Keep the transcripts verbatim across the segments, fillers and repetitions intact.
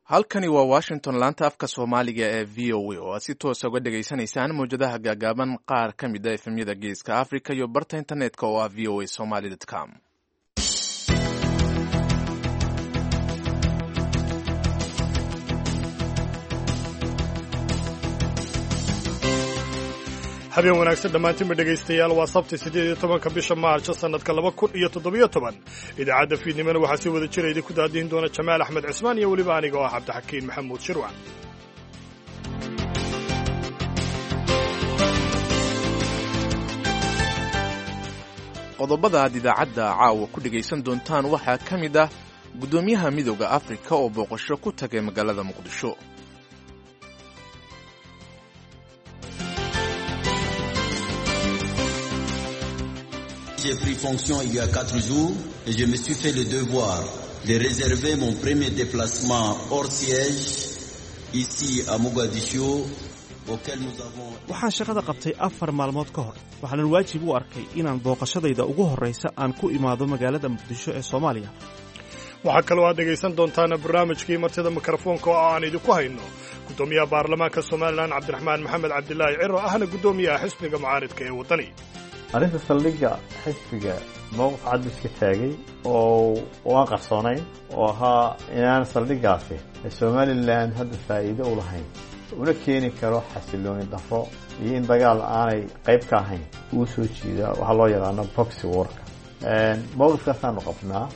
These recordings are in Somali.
Halkani waa Washington, laanta afka Soomaaliga ee V O A, oo aad si toosa uga dhegaysanaysaan mawjadaha gaagaaban, qaar ka mid ah F M-yada Geeska Africa iyo barta internetka oo ah V O A Somali com. Habeen wanaagsan dhammaantiinba, dhegaystayaal. Waa Sabti, siddeed iyo tobanka bisha Maarjo, sannadka laba kun iyo toddobiyo toban. Idaacadda fiidnimona waxaa si wada jira idinku daadihin doona Jamaal Axmed Cismaan iyo weliba aniga oo ah Cabdixakiin Maxamuud Shirwac. Qodobada aad idaacadda caawa ku dhegaysan doontaan waxaa ka mid ah guddoomiyaha Midowda Afrika oo booqasho ku tagay magaalada Muqdisho. J'ai pris fonction il y a quatre jours et je me suis fait le devoir de réserver mon premier déplacement hors siège ici à Mogadiscio auquel nous avons. Waxaan shaqada qabtay afar maalmood ka hor, waxaanan waajib u arkay inaan booqashadayda ugu horraysa aan ku imaado magaalada Muqdisho ee Soomaaliya. Waxaa kaloo aad dhegaysan doontaan barnaamijkii martida mikrofoonka oo aan idinku hayno guddoomiyaha baarlamaanka Somaliland, Cabdiraxmaan Maxamed Cabdilaahi Ciro, ahna guddoomiyaha xisbiga mucaaridka ee Waddani. Arrinta saldhigga, xisbiga mowqif cad iska taagay oo aan qarsoonayn oo ahaa inaan saldhiggaasi Somaliland hadda faa'iido u lahayn, una keeni karo xasilooni darro iyo in dagaal aanay qayb ka ahayn uu soo jiida waxaa loo yaqaano proxy war-ka. Mowqifkaasaanu qabnaa.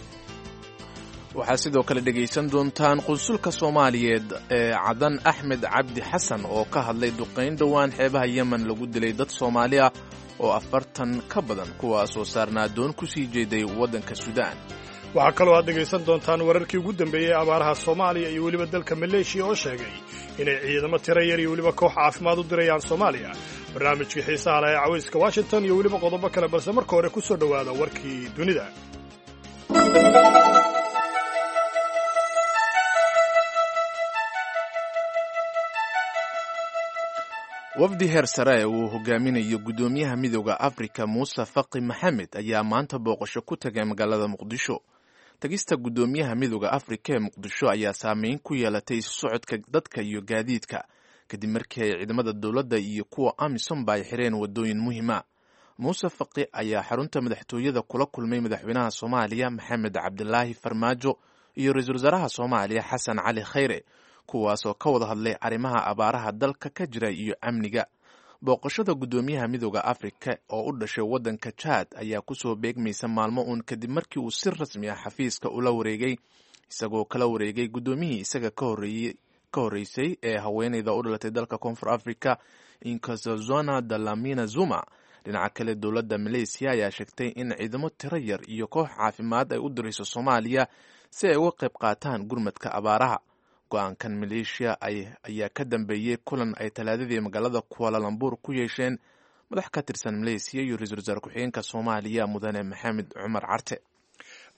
Waxaad sidoo kale dhegaysan doontaan qunsulka Soomaaliyeed ee Cadan, Axmed Cabdi Xasan, oo ka hadlay duqayn dhowaan xeebaha Yemen lagu dilay dad Soomaali ah oo afartan ka badan, kuwaasoo saarnaa doon ku sii jeeday waddanka Suudaan. Waxaa kaloo aad dhegaysan doontaan wararkii ugu dambeeyey abaaraha Soomaaliya iyo weliba dalka Maleeshiya oo sheegay inay ciidamo tiro yar iyo weliba koox caafimaad u dirayaan Soomaaliya, barnaamijkii xiisaha leh ee Cawayska Washington iyo weliba qodobo kale, balse marka hore ku soo dhowaada warkii dunida. Wafdi heer sare ee uu hogaaminayo guddoomiyaha Midowda Afrika, Muuse Faqi Maxamed, ayaa maanta booqasho ku tagay magaalada Muqdisho. Tagista guddoomiyaha Midowda Afrika ee Muqdisho ayaa saameyn ku yeelatay isu socodka dadka iyo gaadiidka, kadib markii ay ciidamada dowladda iyo kuwa AMISOMba ay xireen waddooyin muhiima. Muuse Faqi ayaa xarunta madaxtooyada kula kulmay madaxweynaha Soomaaliya, Maxamed Cabdilaahi Farmaajo, iyo ra-iisul wasaaraha Soomaaliya, Xasan Cali Khayre, kuwaasoo ka wada hadlay arrimaha abaaraha dalka ka jira iyo amniga. Booqashada guddoomiyaha Midowda Afrika oo u dhashay waddanka Jaad ayaa kusoo beegmaysa maalmo uun kadib markii uu si rasmi ah xafiiska ula wareegay, isagoo kala wareegay guddoomiyihii isaga ka horreeyey ka horreysay ee haweeneyda u dhalatay dalka Koonfur Africa, Nkosazana Dlamini Zuma. Dhinaca kale, dowladda Maleysiya ayaa sheegtay in ciidamo tiro yar iyo koox caafimaad ay u dirayso Soomaaliya si ay uga qayb qaataan gurmadka abaaraha. Go-aankan Maleeshiya ayaa ka dambeeyey kulan ay Talaadadii magaalada Kuala Lumpur ku yeesheen madax ka tirsan Maleysiya iyo ra-iisul wasaare ku-xigeenka Soomaaliya, mudane Maxamed Cumar Carte.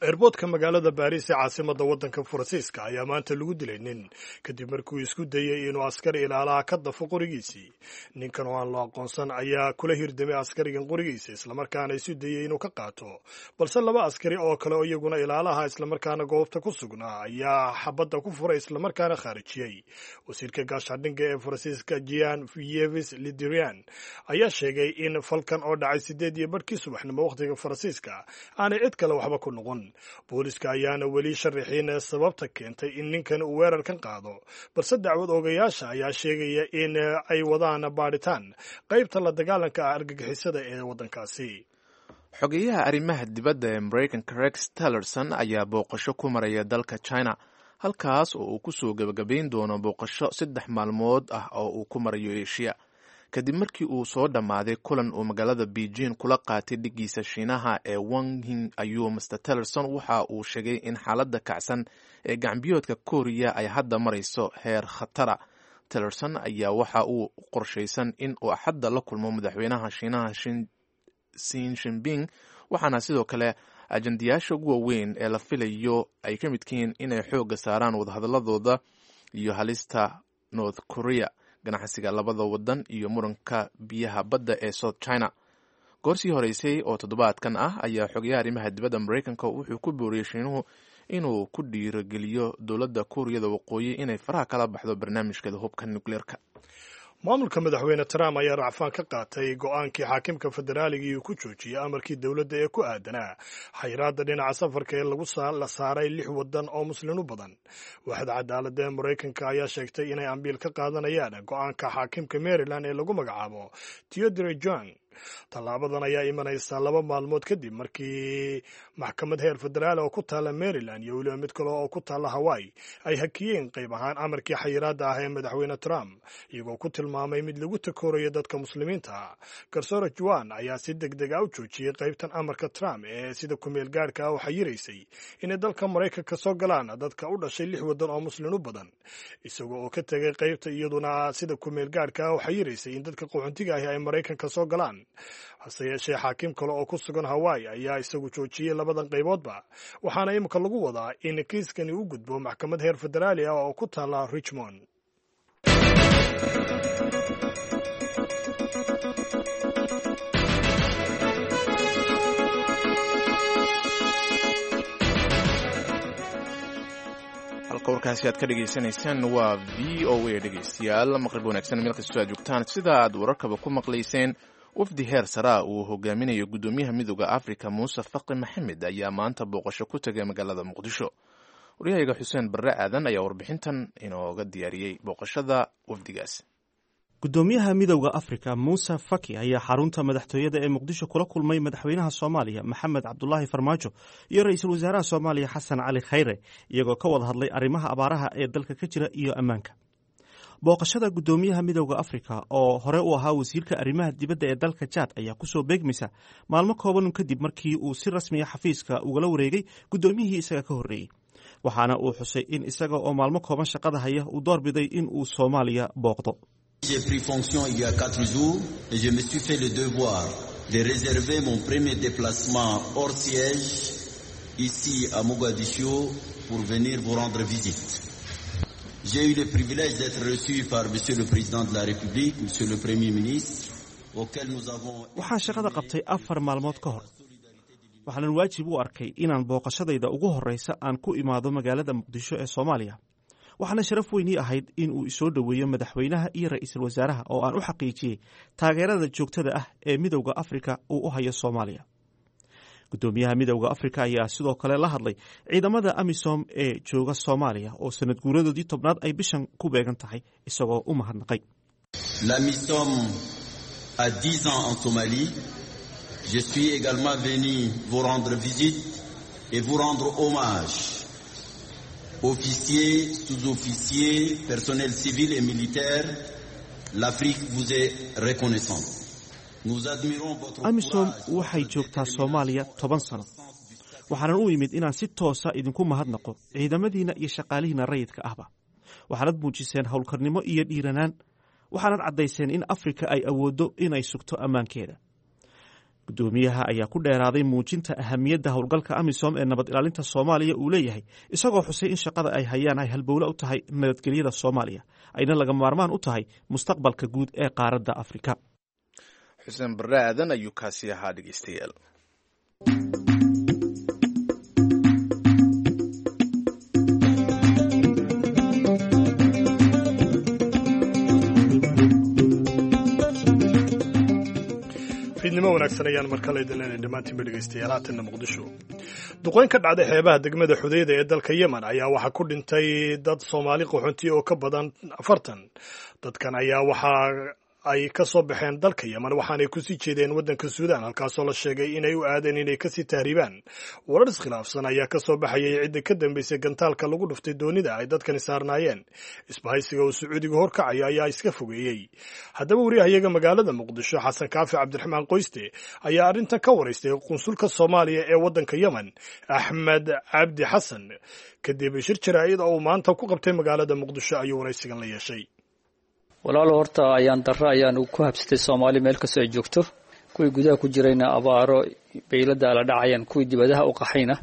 Airport-ka magaalada Baariis ee caasimadda waddanka Faransiiska ayaa maanta lagu dilay nin, kadib markuu isku dayey inuu askari ilaalaha ka dafo qorigiisii. Ninkan oo aan loo aqoonsan ayaa kula hirdamay askarigan qorigiisa, islamarkaana isu dayey inuu ka qaato, balse laba askari oo kale oo iyaguna ilaalaha islamarkaana goobta ku sugnaa ayaa xabadda ku furay, islamarkaana khaarijiyey. Wasiirka gaashaandhigga ee Faransiiska, Jean Yves Le Drian, ayaa sheegay in falkan oo dhacay sideed iyo barhkii subaxnimo wakhtiga Faransiiska aanay cid kale waxba ku noqon. Booliska ayaana weli sharaxin sababta keentay in ninkan uu weerarkan qaado, balse dacwad oogayaasha ayaa sheegaya in ay wadaan baadhitaan qaybta la dagaalanka ah argagixisada ee waddankaasi. Xogeyaha arrimaha dibadda ee Maraykanka, Rex Tillerson, ayaa booqasho ku maraya dalka China, halkaas oo uu kusoo gebagabayn doono booqasho saddex maalmood ah oo uu ku marayo Eshiya, kadib markii uu soo dhammaaday kulan uu magaalada Beijing kula qaatay dhiggiisa Shiinaha ee Wang Yi. Ayuu Mister Tillerson waxa uu sheegay in xaaladda kacsan ee gacanbiyoodka Kooriya ay hadda marayso heer khatara. Tillerson ayaa waxa uu qorshaysan in uu Axadda la kulmo madaxweynaha Shiinaha, Xi Jinping, waxaana sidoo kale ajandayaasha ugu waaweyn ee la filayo ay ka midkihiin inay xoogga saaraan wadahadalladooda iyo halista North Korea, ganacsiga labada wadan iyo muranka biyaha badda ee South China. Goorsii horeysay oo toddobaadkan ah ayaa xogayaha arrimaha dibadda Maraykanka wuxuu ku booriyey Shiinuhu inuu ku dhiirogeliyo dowladda Kuuriyada Waqooyi inay faraha kala baxdo barnaamijkeeda hubka nukleerka. Maamulka madaxweyne Trump ayaa racfaan ka qaatay go'aankii xaakimka federaaligii uu ku joojiyey amarkii dowladda ee ku aadanaa xayiraadda dhinaca safarka ee lagu la saaray lix waddan oo muslin u badan. Waaxda cadaaladda ee Maraykanka ayaa sheegtay inay ambiil ka qaadanayaan go'aanka xaakimka Maryland ee lagu magacaabo Theodore John. Tallaabadan ayaa imanaysa laba maalmood kadib markii maxkamad heer federaal oo ku taalla Maryland iyo weliba mid kale oo ku taalla Hawaii ay hakiyeen qayb ahaan amarkii xayiraadda ah ee madaxweyne Trump, iyagoo ku tilmaamay mid lagu takoorayo dadka muslimiinta. Garsoore Juan ayaa si deg deg ah u joojiyey qaybtan amarka Trump ee sida kumeel gaadhka ah u xayiraysay inay dalka Maraykanka soo galaan dadka u dhashay lix waddan oo muslin u badan, isagoo oo ka tegay qaybta iyaduna sida kumeel gaadhka ah u xayiraysay in dadka qaxoontiga ahi ay Maraykanka soo galaan. Hase yeeshee xaakim kale oo ku sugan Hawaii ayaa isagu joojiyey labadan qayboodba, waxaana imika lagu wadaa in kiiskani u gudbo maxkamad heer federaali ah oo ku taalla Richmond. Halka warkaasi aad ka dhegaysanaysaan waa V O A. Dhegaystayaal, maqrib wanaagsan meel kastoo aad joogtaan. Sida aad wararkaba ku maqlayseen, wafdi heer saraa uu hogaaminayo guddoomiyaha Midooda Afrika Muuse Faqi Maxamed ayaa maanta booqasho ku tegay magaalada Muqdisho. Waryahayaga Xuseen Barre Aadan ayaa warbixintan inooga diyaariyey booqashada wafdigaas. Guddoomiyaha Midowda Afrika Muuse Faki ayaa xarunta madaxtooyada ee Muqdisho kula kulmay madaxweynaha Soomaaliya Maxamed Cabdulaahi Farmaajo iyo ra-iisul wasaaraha Soomaaliya Xasan Cali Khayre, iyagoo ka wada hadlay arrimaha abaaraha ee dalka ka jira iyo ammaanka. Booqashada guddoomiyaha Midowda Afrika oo hore u ahaa wasiirka arrimaha dibadda ee dalka Jaad ayaa kusoo beegmaysa maalmo kooban kadib markii uu si rasmiya xafiiska ugala wareegay guddoomiyihii isaga ka horreeyey, waxaana uu xusay in isaga oo maalmo kooban shaqada haya uu doorbiday in uu Soomaaliya booqdo. J'ai pris fonction il y a quatre jours et je me suis fait le devoir de réserver mon premier déplacement hors siège ici à Mogadiscio pour venir vous rendre visite. J'ai eu le privilège d'être reçu par Monsieur le Président de la République, Monsieur le Premier ministre, auquel nous avons... Waxaan shaqada qabtay afar maalmood ka hor. Waxaanan waajib u arkay inaan booqashadayda ugu horreysa aan ku imaado magaalada Muqdisho ee Soomaaliya. Waxaana sharaf weynii ahayd in uu isoo dhoweeyo madaxweynaha iyo ra'iisul wasaaraha oo aan u xaqiijiyey taageerada joogtada ah ee Midowda Afrika uu u hayo Soomaaliya. Guddoomiyaha Midowda Afrika ayaa sidoo kale la hadlay ciidamada AMISOM ee jooga Soomaaliya oo sanad guuradoodii tobnaad ay bishan ku beegan tahay, isagoo u mahadnaqay. L'AMISOM a dix ans en Somalie. Je suis également venu vous rendre visite et vous rendre hommage. Officiers, sous-officiers, personnel civil et militaire, l'Afrique vous est reconnaissante. Nous admirons votre AMISOM waxay joogtaa Soomaaliya toban sano. Waxaanan u imid inaan si toosa idinku mahadnaqo ciidamadiina iyo shaqaalihiina rayidka ahba. Waxaanad muujiseen howlkarnimo iyo dhiiranaan, waxaanad caddayseen in Afrika ay awooddo inay sugto ammaankeeda. Guddoomiyaha ayaa ku dheeraaday muujinta ahamiyadda howlgalka AMISOM ee nabad ilaalinta Soomaaliya uu leeyahay, isagoo xusay in shaqada ay hayaan ay halbowle u tahay nabadgelyada Soomaaliya, ayna laga maarmaan u tahay mustaqbalka guud ee qaaradda Afrika. Xuseen Barre Aadan ayuu kaasi ahaa dhegeystayaal. Fiidnimo wanaagsan ayaan mar kale idin leenahay dhammaantiinba dhegeystayaal. Haatanna Muqdisho. Duqeyn ka dhacday xeebaha degmada Xudeyda ee dalka Yemen ayaa waxaa ku dhintay dad Soomaali qaxoonti oo ka badan afartan. Dadkan ayaa waxaa ay ka soo baxeen dalka Yemen, waxaanay kusii jeedeen waddanka Suudaan, halkaasoo la sheegay inay u aadeen inay kasii tahriibaan. Warar iskhilaafsan ayaa ka soo baxayay cidda ka dambeysay gantaalka lagu dhuftay doonida ay dadkani saarnaayeen. Isbahaysiga uu Sacuudiga horkacayo ayaa iska fogeeyey. Haddaba wariyahayaga magaalada Muqdisho Xasan Kaafi Cabdiraxmaan Qoyste ayaa arrintan ka waraystay qunsulka Soomaaliya ee waddanka Yemen Axmed Cabdi Xasan kadib shir jaraa'id oo uu maanta ku qabtay magaalada Muqdisho ayuu waraysigan la yeeshay. Walaalo, horta ayaan darro ayaan ku habsatay Soomaali meel kastoo ay joogto. Kuwii gudaha ku jirayna abaaro baylada la dhacayaan, kuwii dibadaha u qaxayna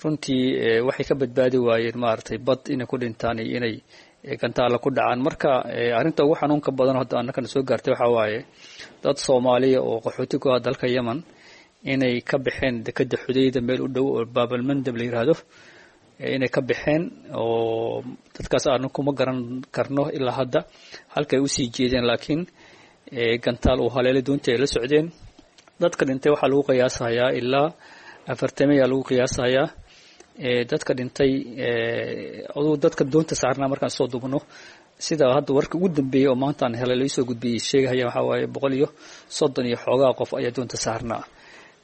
runtii waxay ka badbaadi waayeen maaragtay bad inay ku dhintaan iyo inay gantaala ku dhacaan. Marka arrinta ugu xanuunka badan hadda annakana soo gaartay waxaa waaye dad Soomaaliya oo qaxooti ku ah dalka Yemen inay ka baxeen dekeda Xudeyda meel u dhow oo Baabalmandab la yiraahdo, inay ka baxeen oo dadkaas aanu kuma garan karno ilaa hadda halkay usii jeedeen, laakiin gantaal uu haleelay doontii ay la socdeen. Dadka dhintay waxaa lagu qiyaasayaa ilaa afartameyaa lagu qiyaasayaa dadka dhintay. Aduu dadka doonta saarnaa markaan soo dubno, sida hadda warka ugu dambeeyey oo maanta aan helay laisoo gudbiyey sheegahaya, waxaa waaye boqol iyo soddon iyo xoogaa qof ayaa doonta saarnaa.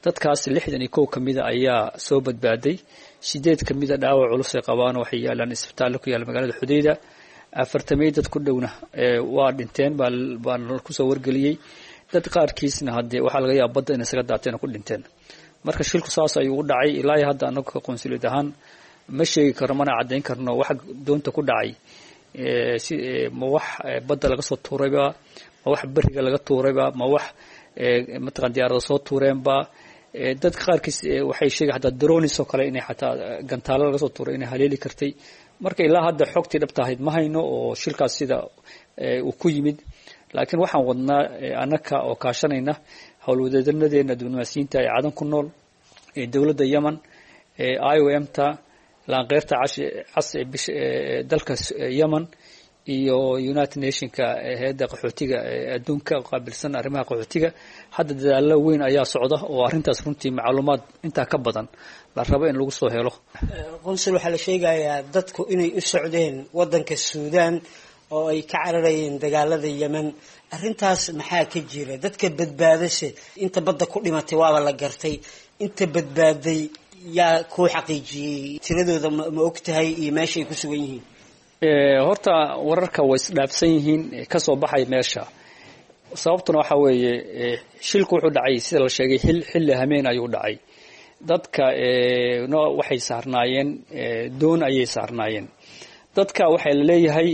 Dadkaas lixdan iyo kow ka mida ayaa soo badbaaday, sideed ka mida dhaawac culus ay qabaan, waxay yaalaan isbitaallo ku yaalla magaalada Xudayda. Afartamey dad ku dhowna waa dhinteen baan kusoo wargeliyey. Dad qaarkiisna haddee waxaa laga yaaba badda inay isaga daateen oo ku dhinteen. Marka shilku saas ayuu u dhacay. Ilaa hadda anagu ka qonsuliyad ahaan ma sheegi karno mana caddayn karno waxa doonta ku dhacay, si ma wax badda laga soo tuurayba, ma wax beriga laga tuurayba, ma wax mataqan diyaarada soo tuureenba. Dadka qaarkiis waxay sheegay xataa dronis oo kale inay xataa gantaalo laga soo tuuray inay haleeli kartay. Marka ilaa hadda xogtii dhabta ahayd ma hayno oo shilkaas sida uu ku yimid, laakiin waxaan wadnaa annaka oo kaashanayna howlwadeedanadeena diblomaasiyiinta ee Cadan ku nool, ee dowladda Yemen, ee I O M ta, laanqeyrta cas ee bisha dalka Yemen iyo United Nationka, hay-adda qaxootiga ee adduunka qaabilsan arrimaha qaxootiga. Hadda dadaallo weyn ayaa socda oo arrintaas runtii macluumaad intaa ka badan la rabo in lagu soo helo. Qonsul, waxaa la sheegayaa dadku inay u socdeen waddanka Suudaan oo ay ka cararayeen dagaalada Yemen. Arrintaas maxaa ka jira? Dadka badbaadase, inta badda ku dhimatay waaba la gartay, inta badbaaday yaa kuu xaqiijiyey tiradooda? Ma og tahay iyo meesha ay ku sugan yihiin? Horta wararka way isdhaafsan yihiin kasoo baxay meesha. Sababtuna waxaa weeye, shilku wuxuu dhacay sida la sheegay xilli hameen ayuu dhacay. Dadka no waxay saarnaayeen doon ayay saarnaayeen. Dadka waxaa la leeyahay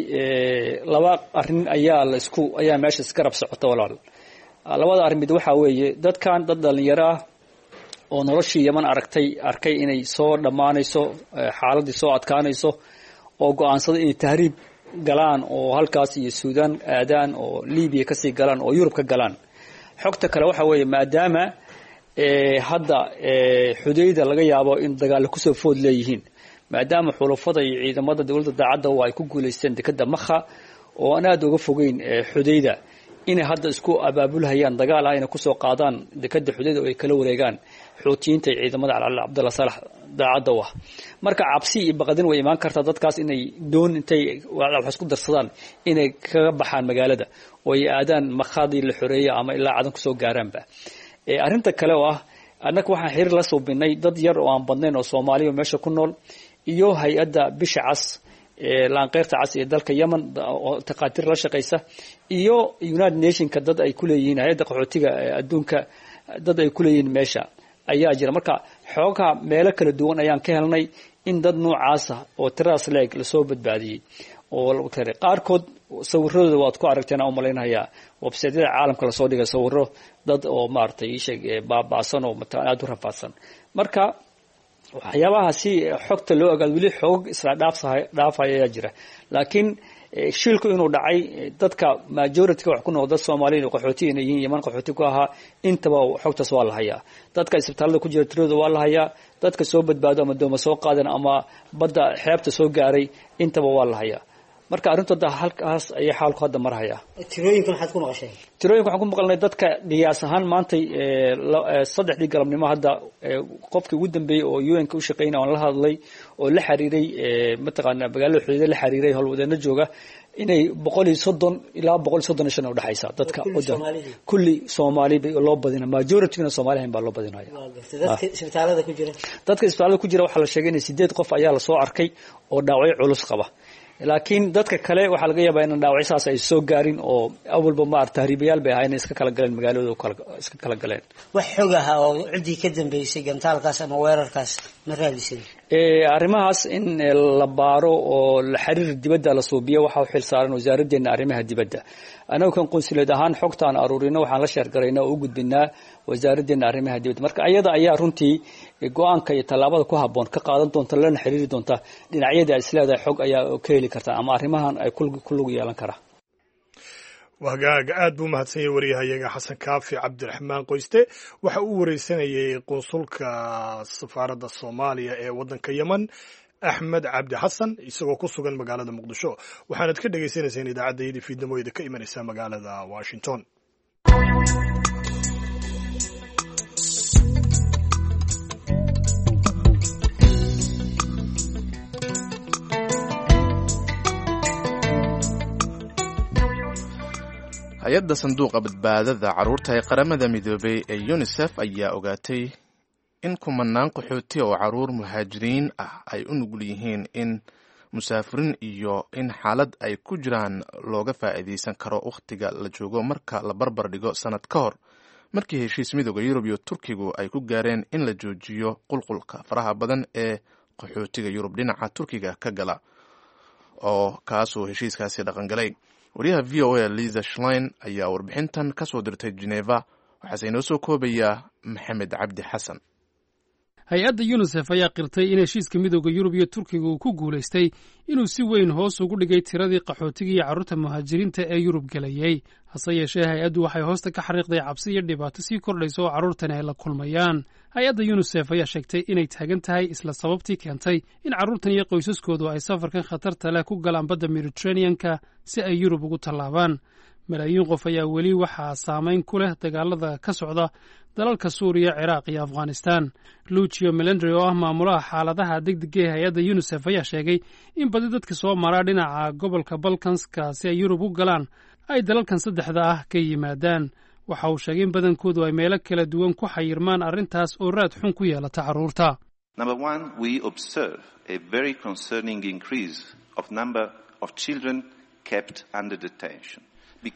laba arrin ayaa la isku ayaa meesha isgarab socota walaal. Labada arrin mid waxaa weeye, dadkan dad dhalinyaro ah oo noloshii Yeman aragtay, arkay inay soo dhammaanayso, xaaladdii soo adkaanayso, oo go-aansaday inay tahriib galaan oo halkaas iyo Suudaan aadaan oo Libiya kasii galaan oo Yurub ka galaan. Xogta kale waxa weeye, maadaama hadda Xudayda laga yaabo in dagaalla kusoo food leeyihiin, maadaama xulafada iyo ciidamada dowladda daacadda oo ay ku guulaysteen dekadda Makha oo aan aada uga fogeyn Xudayda, inay hadda isku abaabulhayaan dagaal ah inay kusoo qaadaan dekadda Xudayda oo ay kala wareegaan Xuutiyiinta iyo ciidamada Cali Cabdalla Saalax daacadda u ah. Marka cabsi iyo baqdin way imaan kartaa dadkaas inay doon intay wax isku darsadaan inay kaga baxaan magaalada oo ay aadaan Makhadii la xoreeyay ama ilaa Cadan kusoo gaaraanba. Arrinta kale oo ah, annaga waxaan xiriir la suubinay dad yar oo aan badnayn oo Soomaaliya meesha ku nool iyo hay-adda bisha cas, laanqeyrta cas ee dalka Yemen oo takhaatiir la shaqaysa, iyo United Nationka dad ay ku leeyihiin, hay-adda qaxootiga adduunka dad ay ku leeyihiin meesha ayaa jira. Marka xoogaha meelo kala duwan ayaan ka helnay in dad noocaasa oo tiradaas leeg lasoo badbaadiyey, oo qaarkood sawiradooda waad ku aragteen aan umalaynayaa websaytyada caalamka lasoo dhigay sawiro dad oo maaragtay iisheeg baaba'san oo mataqan aada u rafaadsan. Marka waxyaabaha si xogta loo ogaado weli xoog isla dhaafsahay dhaafaya ayaa jira, laakiin shilku inuu dhacay, dadka majority-ga wax ku noqda dad Soomaaliyeed oo qaxooti inay yihiin, Yemen qaxooti ku ahaa, intaba xogtaas waa la hayaa. Dadka isbitaalada ku jira tiradooda waa la hayaa. Dadka soo badbaado ama dooma soo qaadan ama badda xeebta soo gaaray intaba waa la hayaa. Marka arrintooda halkaas ayay xaalku hadda marhayaa. Tirooyinka maxaad ku maqashay? Tirooyinka waxaan ku maqalnay dadka qiyaas ahaan maantay saddexdii galabnimo hadda qofkii ugu dambeeyey oo U N-ka u shaqeynaya oon la hadlay oo la xiriiray mataqaana magaalada Xudayda la xiriiray howlwadeena jooga, inay boqol iyo soddon ilaa boqol iyo soddon iyo shan udhexaysa dadka kulli Soomaali bay loo badina, majority-gana Soomaali ahayn baa loo badinaya. Dadka isbitaalada ku jira, dadka isbitaalada ku jira waxaa la sheegay inay sideed qof ayaa lasoo arkay oo dhaawacyo culus qaba, laakiin dadka kale waxaa laga yaabaa inaan dhaawacyo saas ay soo gaarin oo awalba maar tahriibayaal bay ahayn iska kala galeen magaaladooda kala iska kala galeen. Wax xog ah oo ciddii ka dambeysay gantaalkaas ama weerarkaas ma raadisan? Arrimahaas in la baaro oo la xiriir dibadda la suubiyo waxaa u xil saaran wasaaraddeena arrimaha dibadda. Anagu kan qonsuleed ahaan xogta aan aruurino waxaan la sheergaraynaa oo u gudbinaa wasaaraddeena arrimaha dibadda. Marka ayada ayaa runtii go-aanka iyo tallaabada ku habboon ka qaadan doonta, lana xiriiri doonta dhinacyada isleedahay xog ayaa ka heli karta ama arrimahan ay ku lug yeelan karaa. Wahagaaga, aad buu mahadsan yahay waryahayaga Xasan Kaafi Cabdiraxmaan Qoyste. Waxa uu wareysanayay qunsulka safaaradda Soomaaliya ee waddanka Yemen, Axmed Cabdi Xasan isagoo ku sugan magaalada Muqdisho. Waxaanad ka dhagaysanayseen idaacaddayadii fiidnimo ka imanaysa magaalada Washington. Hay-adda sanduuqa badbaadada carruurta ee Qaramada Midoobay ee UNICEF ayaa ogaatay in kumanaan qaxooti oo carruur muhaajiriin ah ay u nugul yihiin in musaafiriin iyo in xaalad ay ku jiraan looga faa'iidaysan karo wakhtiga la joogo marka la barbar dhigo sannad ka hor, markii heshiis Midooda Yurub iyo Turkigu ay ku gaareen in la joojiyo qulqulka faraha badan ee qaxootiga Yurub dhinaca Turkiga ka gala, oo kaasuu heshiiskaasi dhaqangalay. Wariyaha V O A Liza Schlein ayaa warbixintan ka soo dirtay Geneva, waxaase inoo soo koobayaa Maxamed Cabdi Xasan. Hay-adda Yunisef ayaa qirtay in heshiiska Midooda Yurub iyo Turkiga uu ku guulaystay inuu si weyn hoos ugu dhigay tiradii qaxootiga iyo carruurta muhaajiriinta ee Yurub gelayey. Hase yeeshee, hay-addu waxay hoosta ka xariiqday cabsi iyo dhibaato sii kordhaysa oo carruurtani ay la kulmayaan. Hay-adda Yunisef ayaa sheegtay inay taagan tahay isla sababtii keentay in carruurtan iyo qoysaskoodu ay safarkan khatarta leh ku galaan badda Mediteraneanka si ay Yurub ugu tallaabaan. Malaayiin qof ayaa weli waxaa saamayn ku leh dagaalada ka socda dalalka Suuriya, Ciraaq iyo Afghanistan. Lucio Melendri oo ah maamulaha xaaladaha degdega ee hay-adda Yunisef ayaa sheegay in badi dadka soo maraa dhinaca gobolka Balkanska si ay Yurub u galaan ay dalalkan saddexda ah ka yimaadaan. Waxa uu sheegay in badankoodu ay meelo kala duwan ku xayirmaan, arrintaas oo raad xun ku yeelata carruurta.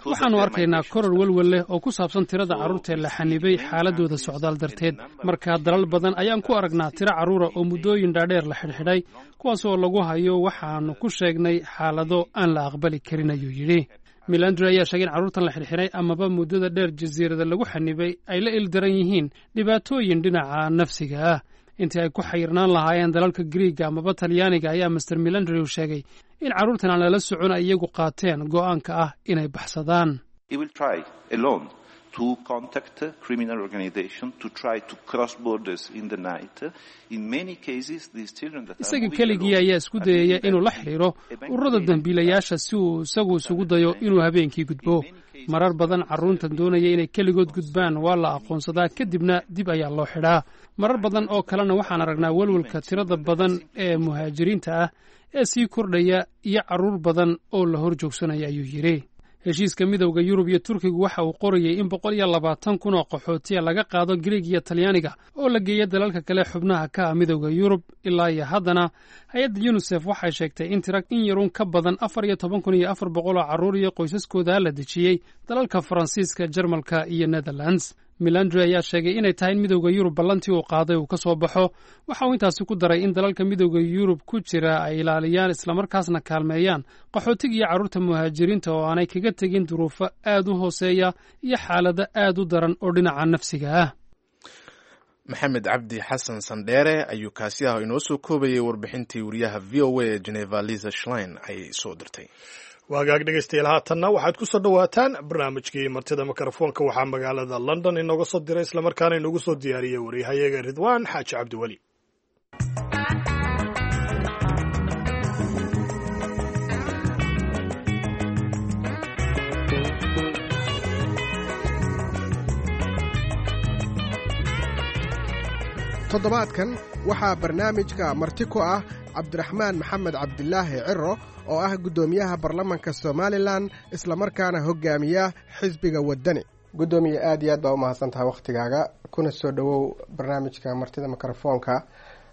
Waxaannu arkaynaa koror welwel leh oo ku saabsan tirada carruurta ee la xanibay xaaladooda socdaal darteed. Markaa dalal badan ayaan ku aragnaa tiro carruura oo muddooyin dhaadheer la xidhxidhay, kuwaas oo lagu hayo waxaannu ku sheegnay xaalado aan la aqbali karin, ayuu yidhi. Milandre ayaa sheegay in carruurtan la xidhxidhay amaba muddada dheer jasiirada lagu xanibay ay la ildaran yihiin dhibaatooyin dhinaca nafsiga ah. Intii ay ku xayirnaan lahaayeen dalalka Griiga amaba Talyaaniga, ayaa Master Milandre uu sheegay in carruurtan aan lala socon ay iyagu qaateen go'aanka ah inay baxsadaan. Isaga keligii ayaa isku dayaya inuu la xidhiiro ururada dembiilayaasha si uu isagu isugu dayo inuu habeenkii gudbo. Marar badan carruurtan doonaya inay keligood gudbaan waa la aqoonsadaa, kadibna dib ayaa loo xidhaa. Marar badan oo kalena waxaan aragnaa welwelka tirada badan ee muhaajiriinta ah ee sii kordhaya iyo carruur badan oo la hor joogsanaya, ayuu yidhi. Heshiiska Midowda Yurub iyo Turkigu waxa uu qorayey in boqol iyo labaatan kun oo qaxootiya laga qaado Griig iyo Talyaaniga oo la geeyo dalalka kale xubnaha ka ah Midowda Yurub. Ilaa iyo haddana hay-adda Yunisef waxay sheegtay in tira in yarun ka badan afar iyo toban kun iyo afar boqol oo carruur iyo qoysaskooda la dejiyey dalalka Faransiiska, Jarmalka iyo Netherlands. Milandre ayaa sheegay inay tahay in Midowda Yurub ballantii uu qaaday uu ka soo baxo. Waxa uu intaasi ku daray in dalalka Midowda Yurub ku jira ay ilaaliyaan islamarkaasna kaalmeeyaan qaxootiga iyo carruurta muhaajiriinta oo aanay kaga tegin duruufo aad u hooseeya iyo xaalado aad u daran oo dhinaca nafsiga ah. Maxamed Cabdi Xasan Sandheere ayuu kaasi ah inoo soo koobayay warbixintii wariyaha V O A ee Geneva Liza Schlein ay soo dirtay. Waagaag dhegaystayaal, haatanna waxaad ku soo dhowaataan barnaamijkii martida mikrofoonka. Waxaa magaalada London inooga soo diray islamarkaana inoogu soo diyaariyey wariyahayaga Ridwaan Xaaji Cabdiweli. Toddobaadkan waxaa barnaamijka marti ku ah Cabdiraxmaan Maxamed Cabdilaahi Ciro oo ah guddoomiyaha baarlamanka Somalilan, islamarkaana hogaamiya xisbiga Waddani. Guddoomiye, aad iyo aad baa u mahadsan tahay wakhtigaaga, kuna soo dhowow barnaamijka martida mikrofoonka.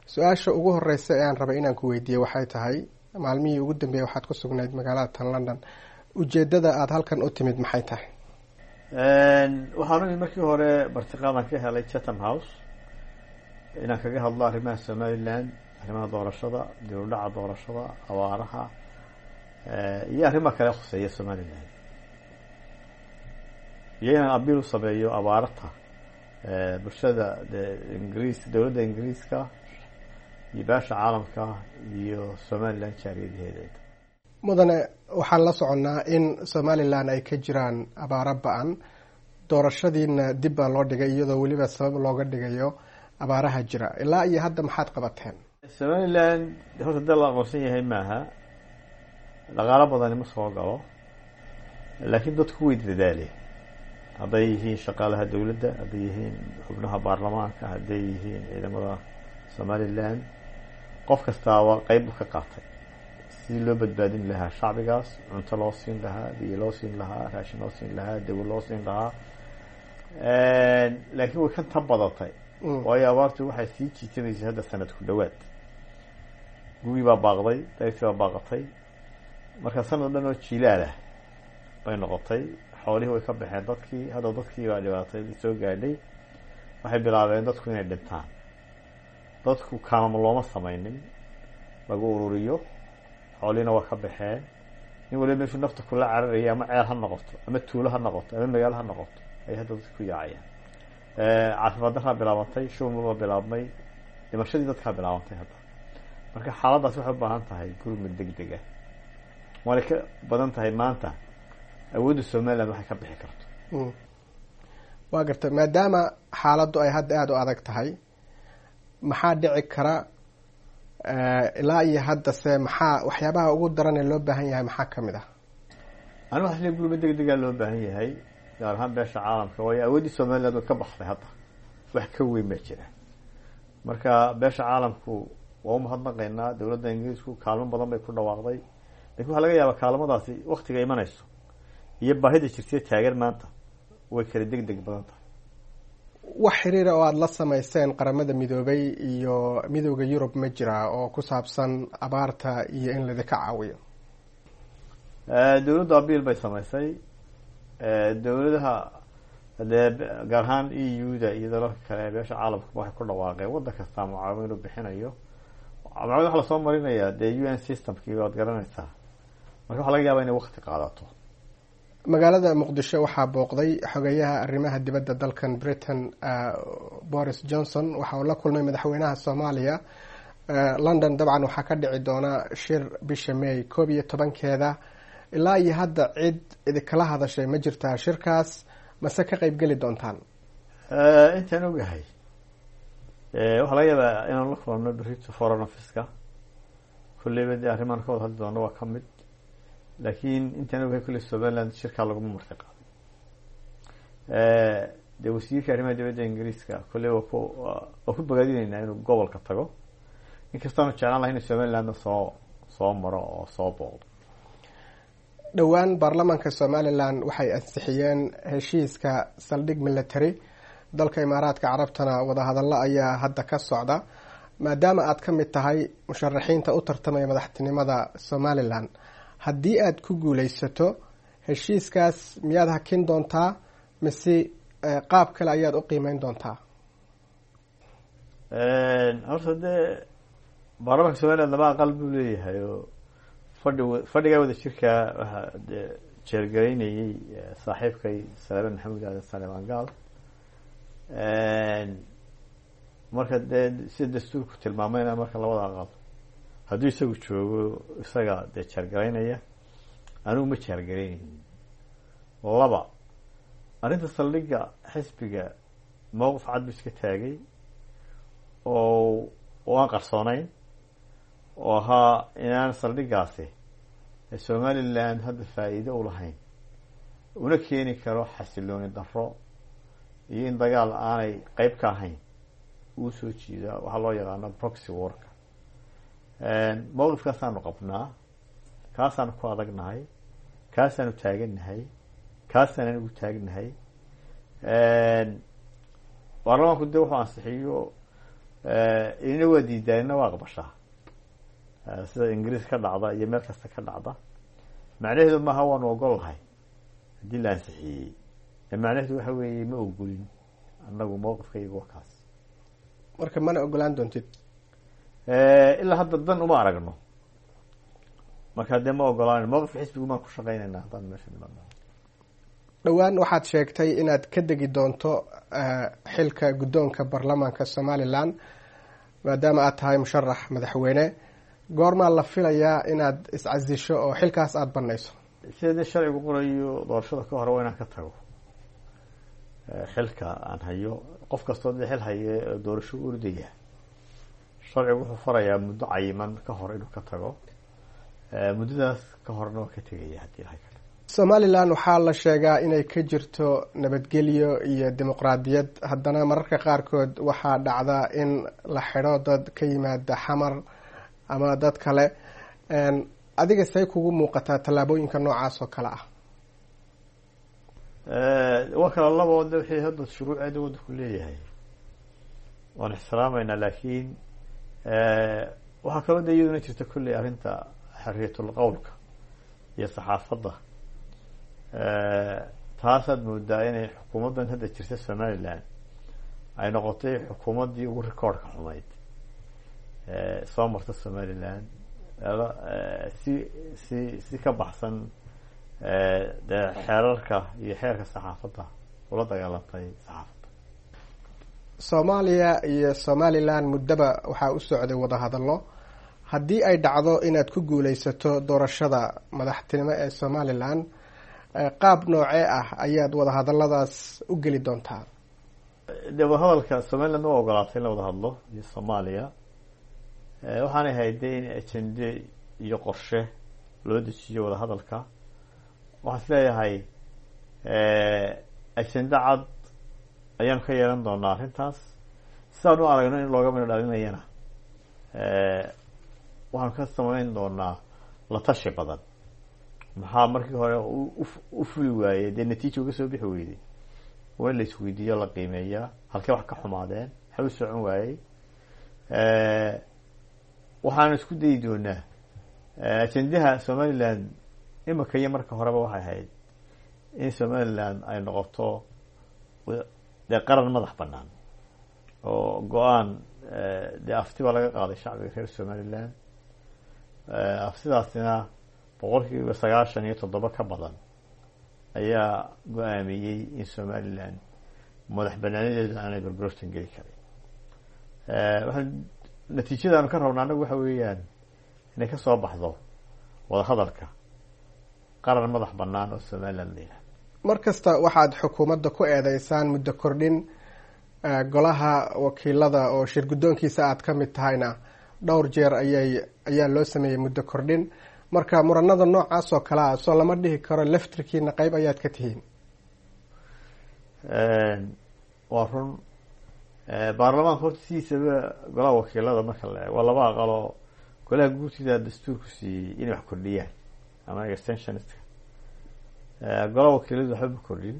Su-aasha ugu horeysa ee aan rabay inaan ku weydiiye waxay tahay, maalmihii ugu dambeeyey waxaad ku sugnayd magaalada tan London, ujeeddada aada halkan u timid maxay tahay? Waxaan u imid markii hore martiqaadan ka helay Chatham House inaan kaga hadlo arrimaha Somaliland, arrimaha doorashada, dib u dhaca doorashada, abaaraha iyo arrimaha kale khuseeya Somaliland, iyo inaan abiil u sameeyo abaarta bulshada ingiriis, dowladda Ingiriiska iyo beesha caalamka iyo Somaliland jaariyadaheeda. Mudane, waxaan la soconnaa in Somalilan ay ka jiraan abaaro ba-an, doorashadiina dib baa loo dhigay iyadoo weliba sabab looga dhigayo abaaraha jira. Ilaa iyo hadda maxaad qabateen? Somaliland horta dal la aqoonsan yahay maaha, dhaqaalo badani ma soo galo, laakiin dadku way dadaaleen. Hadday yihiin shaqaalaha dowladda, hadday yihiin xubnaha baarlamaanka, hadday yihiin ciidamada Somaliland, qof kastaaba qeyb buu ka qaatay sidii loo badbaadin lahaa shacbigaas, cunto loo siin lahaa, biyo loo siin lahaa, raashin loo siin lahaa, dawo loo siin lahaa. Laakiin way ka tan badatay, waayo abaartu waxay sii jiitamaysay hadda sanad ku dhawaad. Gugii baa baaqday, dayrtii baa baaqatay, marka sanad dhan oo jiilaal ah bay noqotay. Xoolihii way ka baxeen dadkii, hadda dadkii baa dhibaatay soo gaadhay. Waxay bilaabeen dadku inay dhintaan. Dadku kaamam looma samaynin lagu ururiyo, xoolihiina waa ka baxeen. Nin waliba meeshuu nafta kula cararaya, ama ceel ha noqoto, ama tuulo ha noqoto, ama magaalo ha noqoto, ay hadda dadka ku yaacayaan. Caafimaad daraa bilaabantay, shubma baa bilaabmay, dhimashadii dadkaa bilaabantay hadda. Marka xaaladdaas waxay u baahan tahay gurmad deg deg ah, waanay ka badan tahay maanta awoodda Somaliland waxay ka bixi karto. Waa gartay. Maadaama xaaladdu ay hadda aada u adag tahay, maxaa dhici kara ilaa iyo hadda? Se maxaa waxyaabaha ugu daran ee loo baahan yahay maxaa kamid ah? Anigu waxaa isleeyahay gurmad deg degaa loo baahan yahay, gaar ahaan beesha caalamka, waayo awooddii Somaliland way ka baxday hadda, wax ka weyn baa jira. Marka beesha caalamku waa umahadnaqaynaa, dowladda Ingiriisku kaalmo badan bay ku dhawaaqday, lakin waxaa laga yaabaa kaalmadaasi waktiga imanayso iyo baahida jirtay taagan maanta way kala deg deg badan tahay. Wax xiriira oo aada la sameyseen Qaramada Midoobay iyo Midooda Yurub ma jiraa oo ku saabsan abaarta iyo in laidinka caawiyo? Dowladdu abiil bay samaysay. Dowladaha dee gaar ahaan E U da iyo dalalka kale ee beesha caalamka waxay ku dhawaaqeen waddan kastaa mucaawin inuu bixinayo. Mucaawin waxa lasoo marinayaa dee U N systemkii, waad garanaysaa. Marka waxaa laga yaabaa inay wakti qaadato. Magaalada Muqdisho waxaa booqday xogeyaha arrimaha dibadda dalkan Britain, Boris Johnson. Waxa uu la kulmay madaxweynaha Soomaaliya. London dabcan waxaa ka dhici doona shir bisha May koob iyo tobankeeda. Ilaa iyo hadda cid idinkala hadashay ma jirtaa shirkaas, mase ka qeyb geli doontaan? Intaan ogahay, waxaa laga yaabaa inaan la kulanno berito foreign officeka. Kulleyba dee arrimaan ka wada hadli doono waa ka mid, laakiin intaan ogahay kulley Somaliland shirkaa laguma marti qaaday. Dee wasiirka arrimaha dibadda Ingiriiska kulley waa ku waa ku bogaadinaynaa inuu gobolka tago, inkastaanu jeclaan lahay in Somalilandna soo soo maro oo soo booqdo. Dhowaan baarlamaanka Somaliland waxay ansixiyeen heshiiska saldhig military. Dalka Imaaraadka Carabtana wadahadallo ayaa hadda ka socda. Maadaama aad ka mid tahay musharaxiinta u tartamaya madaxtinimada Somaliland, haddii aad ku guuleysato heshiiskaas, miyaad hakin doontaa mise qaab kale ayaad u qiimeyn doontaa? Horta dee baarlamaanka Somaliland laba aqal buu leeyahay, oo fadhi fadhigaa wada jirkaa waxaa dee jeergaraynayay saaxiibkay Saleeman Maxamuud Aadan, Saleeman Gaal. Marka dee sida dastuurku tilmaamayna, marka labada aqal hadduu isagu joogo isaga dee jeergaraynaya, anigu ma jeergaraynaynin. Laba, arrinta saldhigga xisbiga mowqif cad buu iska taagay oo oo aan qarsoonayn, oo ahaa inaan saldhiggaasi Somaliland hadda faa'iido u lahayn, una keeni karo xasilooni darro iyo in dagaal aanay qeyb ka ahayn uu soo jiida, waxaa loo yaqaano proxy warka. Mowqifkaasaanu qabnaa, kaasaanu ku adagnahay, kaasaanu taagannahay, kaasaan anigu taagnahay. Baarlamaanku dee wuxuu ansixiyo inina waa diidaa, inina waa aqbashaa, sida Ingiriis ka dhacda iyo meel kasta ka dhacda. Macnaheedu maaha waanu ogol lahay haddii la ansixiyey. Macnaheedu waxa weeye ma ogolin annagu, mowqifkaygu waa kaas. Marka mana ogolaan doontid? Ilaa hadda dan uma aragno, marka dee ma ogolaan. Mowqifka xisbigu maan ku shaqeynayna haddaan meesha nimaadno. Dhowaan waxaad sheegtay inaad ka degi doonto xilka guddoonka baarlamaanka Somaliland maadaama aad tahay musharax madaxweyne. Goormaa la filayaa inaad iscasisho oo xilkaas aada banayso? Sida dee sharcigu qorayo, doorashada ka hore waa inaan ka tago xilka aan hayo. Qof kastoo dee xil haye doorasho u ordaya Sharcigu wuxuu farayaa muddo cayiman ka hor inuu ka tago, muddadaas ka horna waa ka tegaya haddii Ilahay ka. Somalilan waxaa la sheegaa inay ka jirto nabadgelyo iyo dimuqraadiyad, haddana mararka qaarkood waxaa dhacda in la xidho dad ka yimaada Xamar ama dad kale. Adiga say kugu muuqataa tallaabooyinka noocaas oo kale ah? Waa kala labo de, wixii hadda shuruuceeda waddanku leeyahay waan ixtiraameynaa, laakiin waxaa kaloo de iyaduna jirta kolley arrinta xorriyatul qowlka iyo saxaafadda. Taasaad moodaa inay xukuumaddan hadda jirta Somaliland ay noqotay xukuumaddii ugu rikoorka xumayd soo marta Somaliland, si si si ka baxsan dee xeerarka iyo xeerka saxaafadda ula dagaalantay saxaafadda. Soomaaliya iyo Somalilan muddaba waxaa u socday wadahadallo. Haddii ay dhacdo inaad ku guuleysato doorashada madaxtinimo ee Somalilan, qaab noocee ah ayaad wadahadalladaas u geli doontaa? Dee wadahadalka Somaliland waa ogolaatay in la wada hadlo iyo Soomaaliya. Waxaanay ahayd de in ajende iyo qorshe loo dejiyo wadahadalka. Waxaan is leeyahay ajende cad ayaanu ka yeelan doonaa arrintaas, sidaan u aragno in looga midho dhalinayana waxaanu ka samayn doonaa la tashi badan. Maxaa markii hore u fuli waayey, dee natiija uga soo bixi weyday? Waa in la isweydiiyo, la qiimeeyaa halkee wax ka xumaadeen, maxaa u socon waayey. Waxaanu isku dayi doonaa ajendaha Somaliland imika iyo marka horeba waxay ahayd in Somaliland ay noqoto dee qaran madax banaan oo go-aan. Dee afti baa laga qaaday shacbiga reer Somaliland, aftidaasina boqolkiiba sagaashan iyo toddoba ka badan ayaa go-aamiyey in Somaliland madax banaanadeedu aanay gorgortan geli karin. Waxaan natiijadaanu ka rabna annagu waxa weeyaan inay ka soo baxdo wadahadalka qaran madax banaan oo Somaliland la yidhahdo. Mar kasta waxaad xukuumadda ku eedeysaan muddo kordhin, golaha wakiilada oo shir guddoonkiisa aad ka mid tahayna dhowr jeer ayay ayaa loo sameeyey muddo kordhin. Marka muranada noocaas oo kale ah soo lama dhihi karo laftirkiina qeyb ayaad ka tihiin? Waa run. Baarlamaanka horta sidiisaba golaha wakiilada marka la eego waa laba aqaloo. Golaha guurtida dastuurku siiyey inay wax kordhiyaan ama extensionistka, golaha wakiiladu waxba ma kordhin.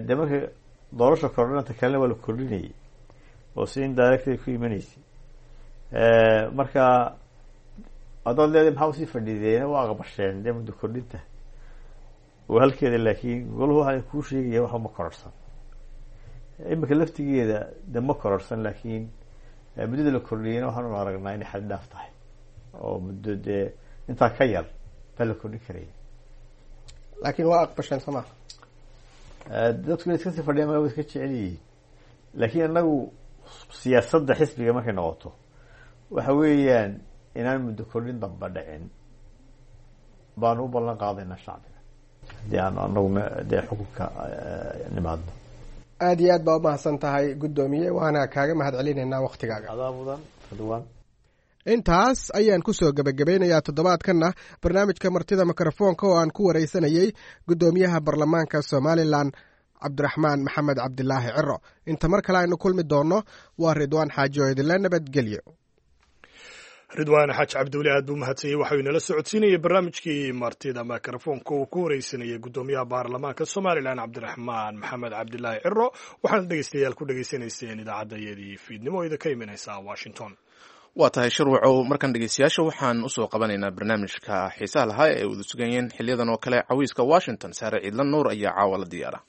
Dee marka doorasha kordhinanta kalena waa la kordhinayay oo si indirectly ku imanaysay. Marka haddaad leedahay maxaa usii fadhiideena, waa aqbasheen dee muddo kordhinta oo halkeeda, laakiin golahu waxaa kuu sheegaya waxba ma kororsan. Imika laftigeeda de ma kororsan, laakiin muddada la kordhiyeyna waxaanu aragnaa inay xad dhaaf tahay oo muddo dee intaa ka yar baa la kordhin karaya. Laakiin waa aqbasheen soo maa? Dadku inay iska sii fadhiyaan ma iska jecel yihiin, laakiin annagu siyaasadda xisbiga markay noqoto waxa weeyaan inaan muddo kordhin damba dhicin baanu u ballan qaadaynaa shacbiga haddii aanu anagu dee xukunka nimaadno. Aada iyo aad baa umahadsan tahay guddoomiye, waana kaaga mahad celinaynaa waktigaaga. Adaa mudan, Ridwaan. Intaas ayaan ku soo gebagabeynayaa toddobaadkanna barnaamijka martida mikrofoonka oo aan ku waraysanayey guddoomiyaha baarlamaanka Somalilan Cabdiraxmaan Maxamed Cabdilaahi Ciro. Inta mar kale aynu kulmi doonno, waa Ridwaan Xaaji oo idinla nabadgelyo. Ridwaan Xaaji Cabdiweli aad buu mahadsanyey. Waxau inala socodsiinayay barnaamijkii martida mikrofoonka uu ku wareysanayay guddoomiyaha baarlamaanka Somalilan Cabdiraxmaan Maxamed Cabdilaahi Ciro. Waxaana dhegeystayaal ku dhegeysanayseen idaacadayadii fiidnimo oo idinka imanaysa Washington. Waa tahay Shirwacow. Markan dhegeystayaasha waxaan usoo qabanaynaa barnaamijka xiisaha lahaa ee wada sugayeen xiliyadan oo kale, Cawiiska Washington. Saare Ciidlan Nuur ayaa caawa la diyaara.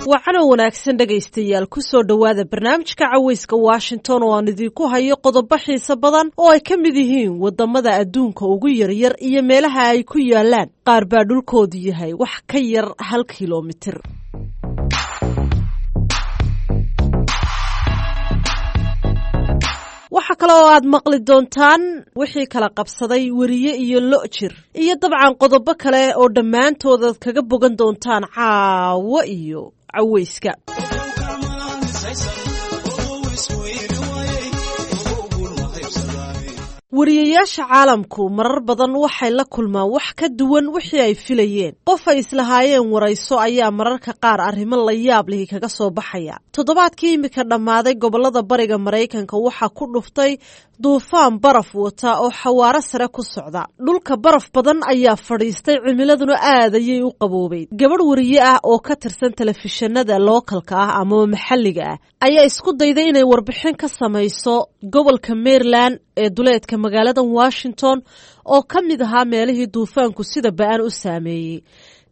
Wacano wanaagsan dhegaystayaal, kusoo dhowaada barnaamijka Caweyska Washington oo aan idinku hayo qodobo xiiso badan oo ay ka mid yihiin wadamada adduunka ugu yaryar iyo meelaha ay ku yaalaan. Qaar baa dhulkoodu yahay wax ka yar hal kilomitir. Waxaa kale oo aad maqli doontaan wixii kala qabsaday weriye iyo lo jir, iyo dabcan qodobo kale oo dhammaantood aad kaga bogan doontaan caawo iyo caweyska. Wariyayaasha caalamku marar badan waxay la kulmaan wax ka duwan wixii ay filayeen. Qof ay islahaayeen warayso ayaa mararka qaar arrimo la yaab lihi kaga soo baxaya. Toddobaadkii iminka dhammaaday, gobollada bariga Maraykanka waxaa ku dhuftay duufaan baraf wata oo xawaaro sare ku socda. Dhulka baraf badan ayaa fadhiistay, cimiladuna aad ayay u qaboobeyd. Gabadh wariye ah oo ka tirsan telefishinada lookalka ah amaba maxalliga ah ayaa isku dayday inay warbixin ka samayso gobolka Maryland ee duleedka magaalada Washington, oo ka mid ahaa meelihii duufaanku sida ba-an u saameeyey.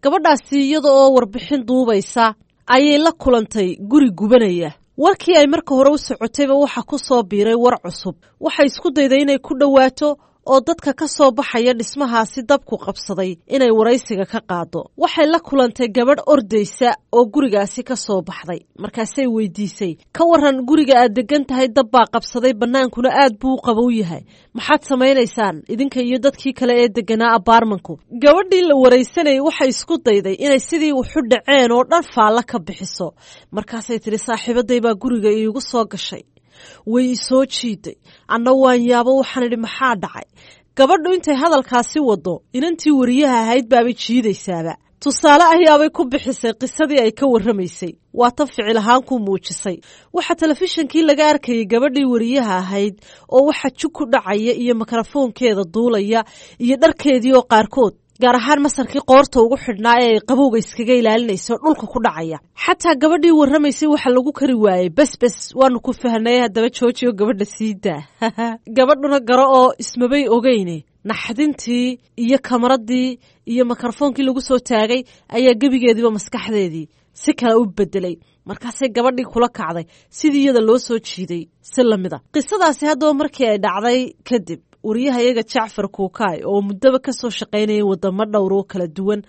Gabadhaasi iyada oo warbixin duubaysa ayay la kulantay guri gubanaya. Warkii ay marka hore u socotayba waxa ku soo biiray war cusub. Waxay isku dayday inay ku dhowaato oo dadka ka soo baxaya dhismahaasi dabku qabsaday inay waraysiga ka qaado. Waxay la kulantay gabadh ordaysa oo gurigaasi ka soo baxday. Markaasay weydiisay, "Ka waran guriga aad degan tahay dab baa qabsaday, bannaankuna aad buu u qabow yahay, maxaad samaynaysaan idinka iyo dadkii kale ee deganaa abaarmanku?" Gabadhii la waraysanayay waxay isku dayday inay sidii wuxu dhaceen oo dhan faalla ka bixiso. Markaasay tidhi, "Saaxiibaday baa guriga iigu soo gashay, way isoo jiiday, anna waan yaabo, waxaan idhi maxaa dhacay?" Gabadhu intay hadalkaasi wado, inantii wariyaha ahayd baabay jiidaysaaba. Tusaale ayaabay ku bixisay qisadii ay ka warramaysay, waa tan ficil ahaan ku muujisay. Waxaa telefishinkii laga arkayay gabadhii wariyaha ahayd oo waxa jug ku dhacaya iyo mikrofoonkeeda duulaya iyo dharkeedii oo qaarkood, gaar ahaan masarkii qoorta ugu xidhnaa ee ay qabowga iskaga ilaalinayso, dhulka ku dhacaya. Xataa gabadhii warramaysay waxa lagu kari waayey, "Bes bes, waanu ku fahnay, haddaba joojiyo, gabadha sii daa." Gabadhuna garo oo ismabay ogeyne, naxdintii iyo kamaradii iyo mikrofoonkii lagu soo taagay ayaa gebigeediiba maskaxdeedii si kale u bedelay. Markaasay gabadhii kula kacday sidii iyada loo soo jiiday si lamida. Qisadaasi haddaba markii ay dhacday kadib, wariyaha iyaga Jacfar Kuukaay oo muddaba kasoo shaqaynayay wadamo dhowr oo kala duwan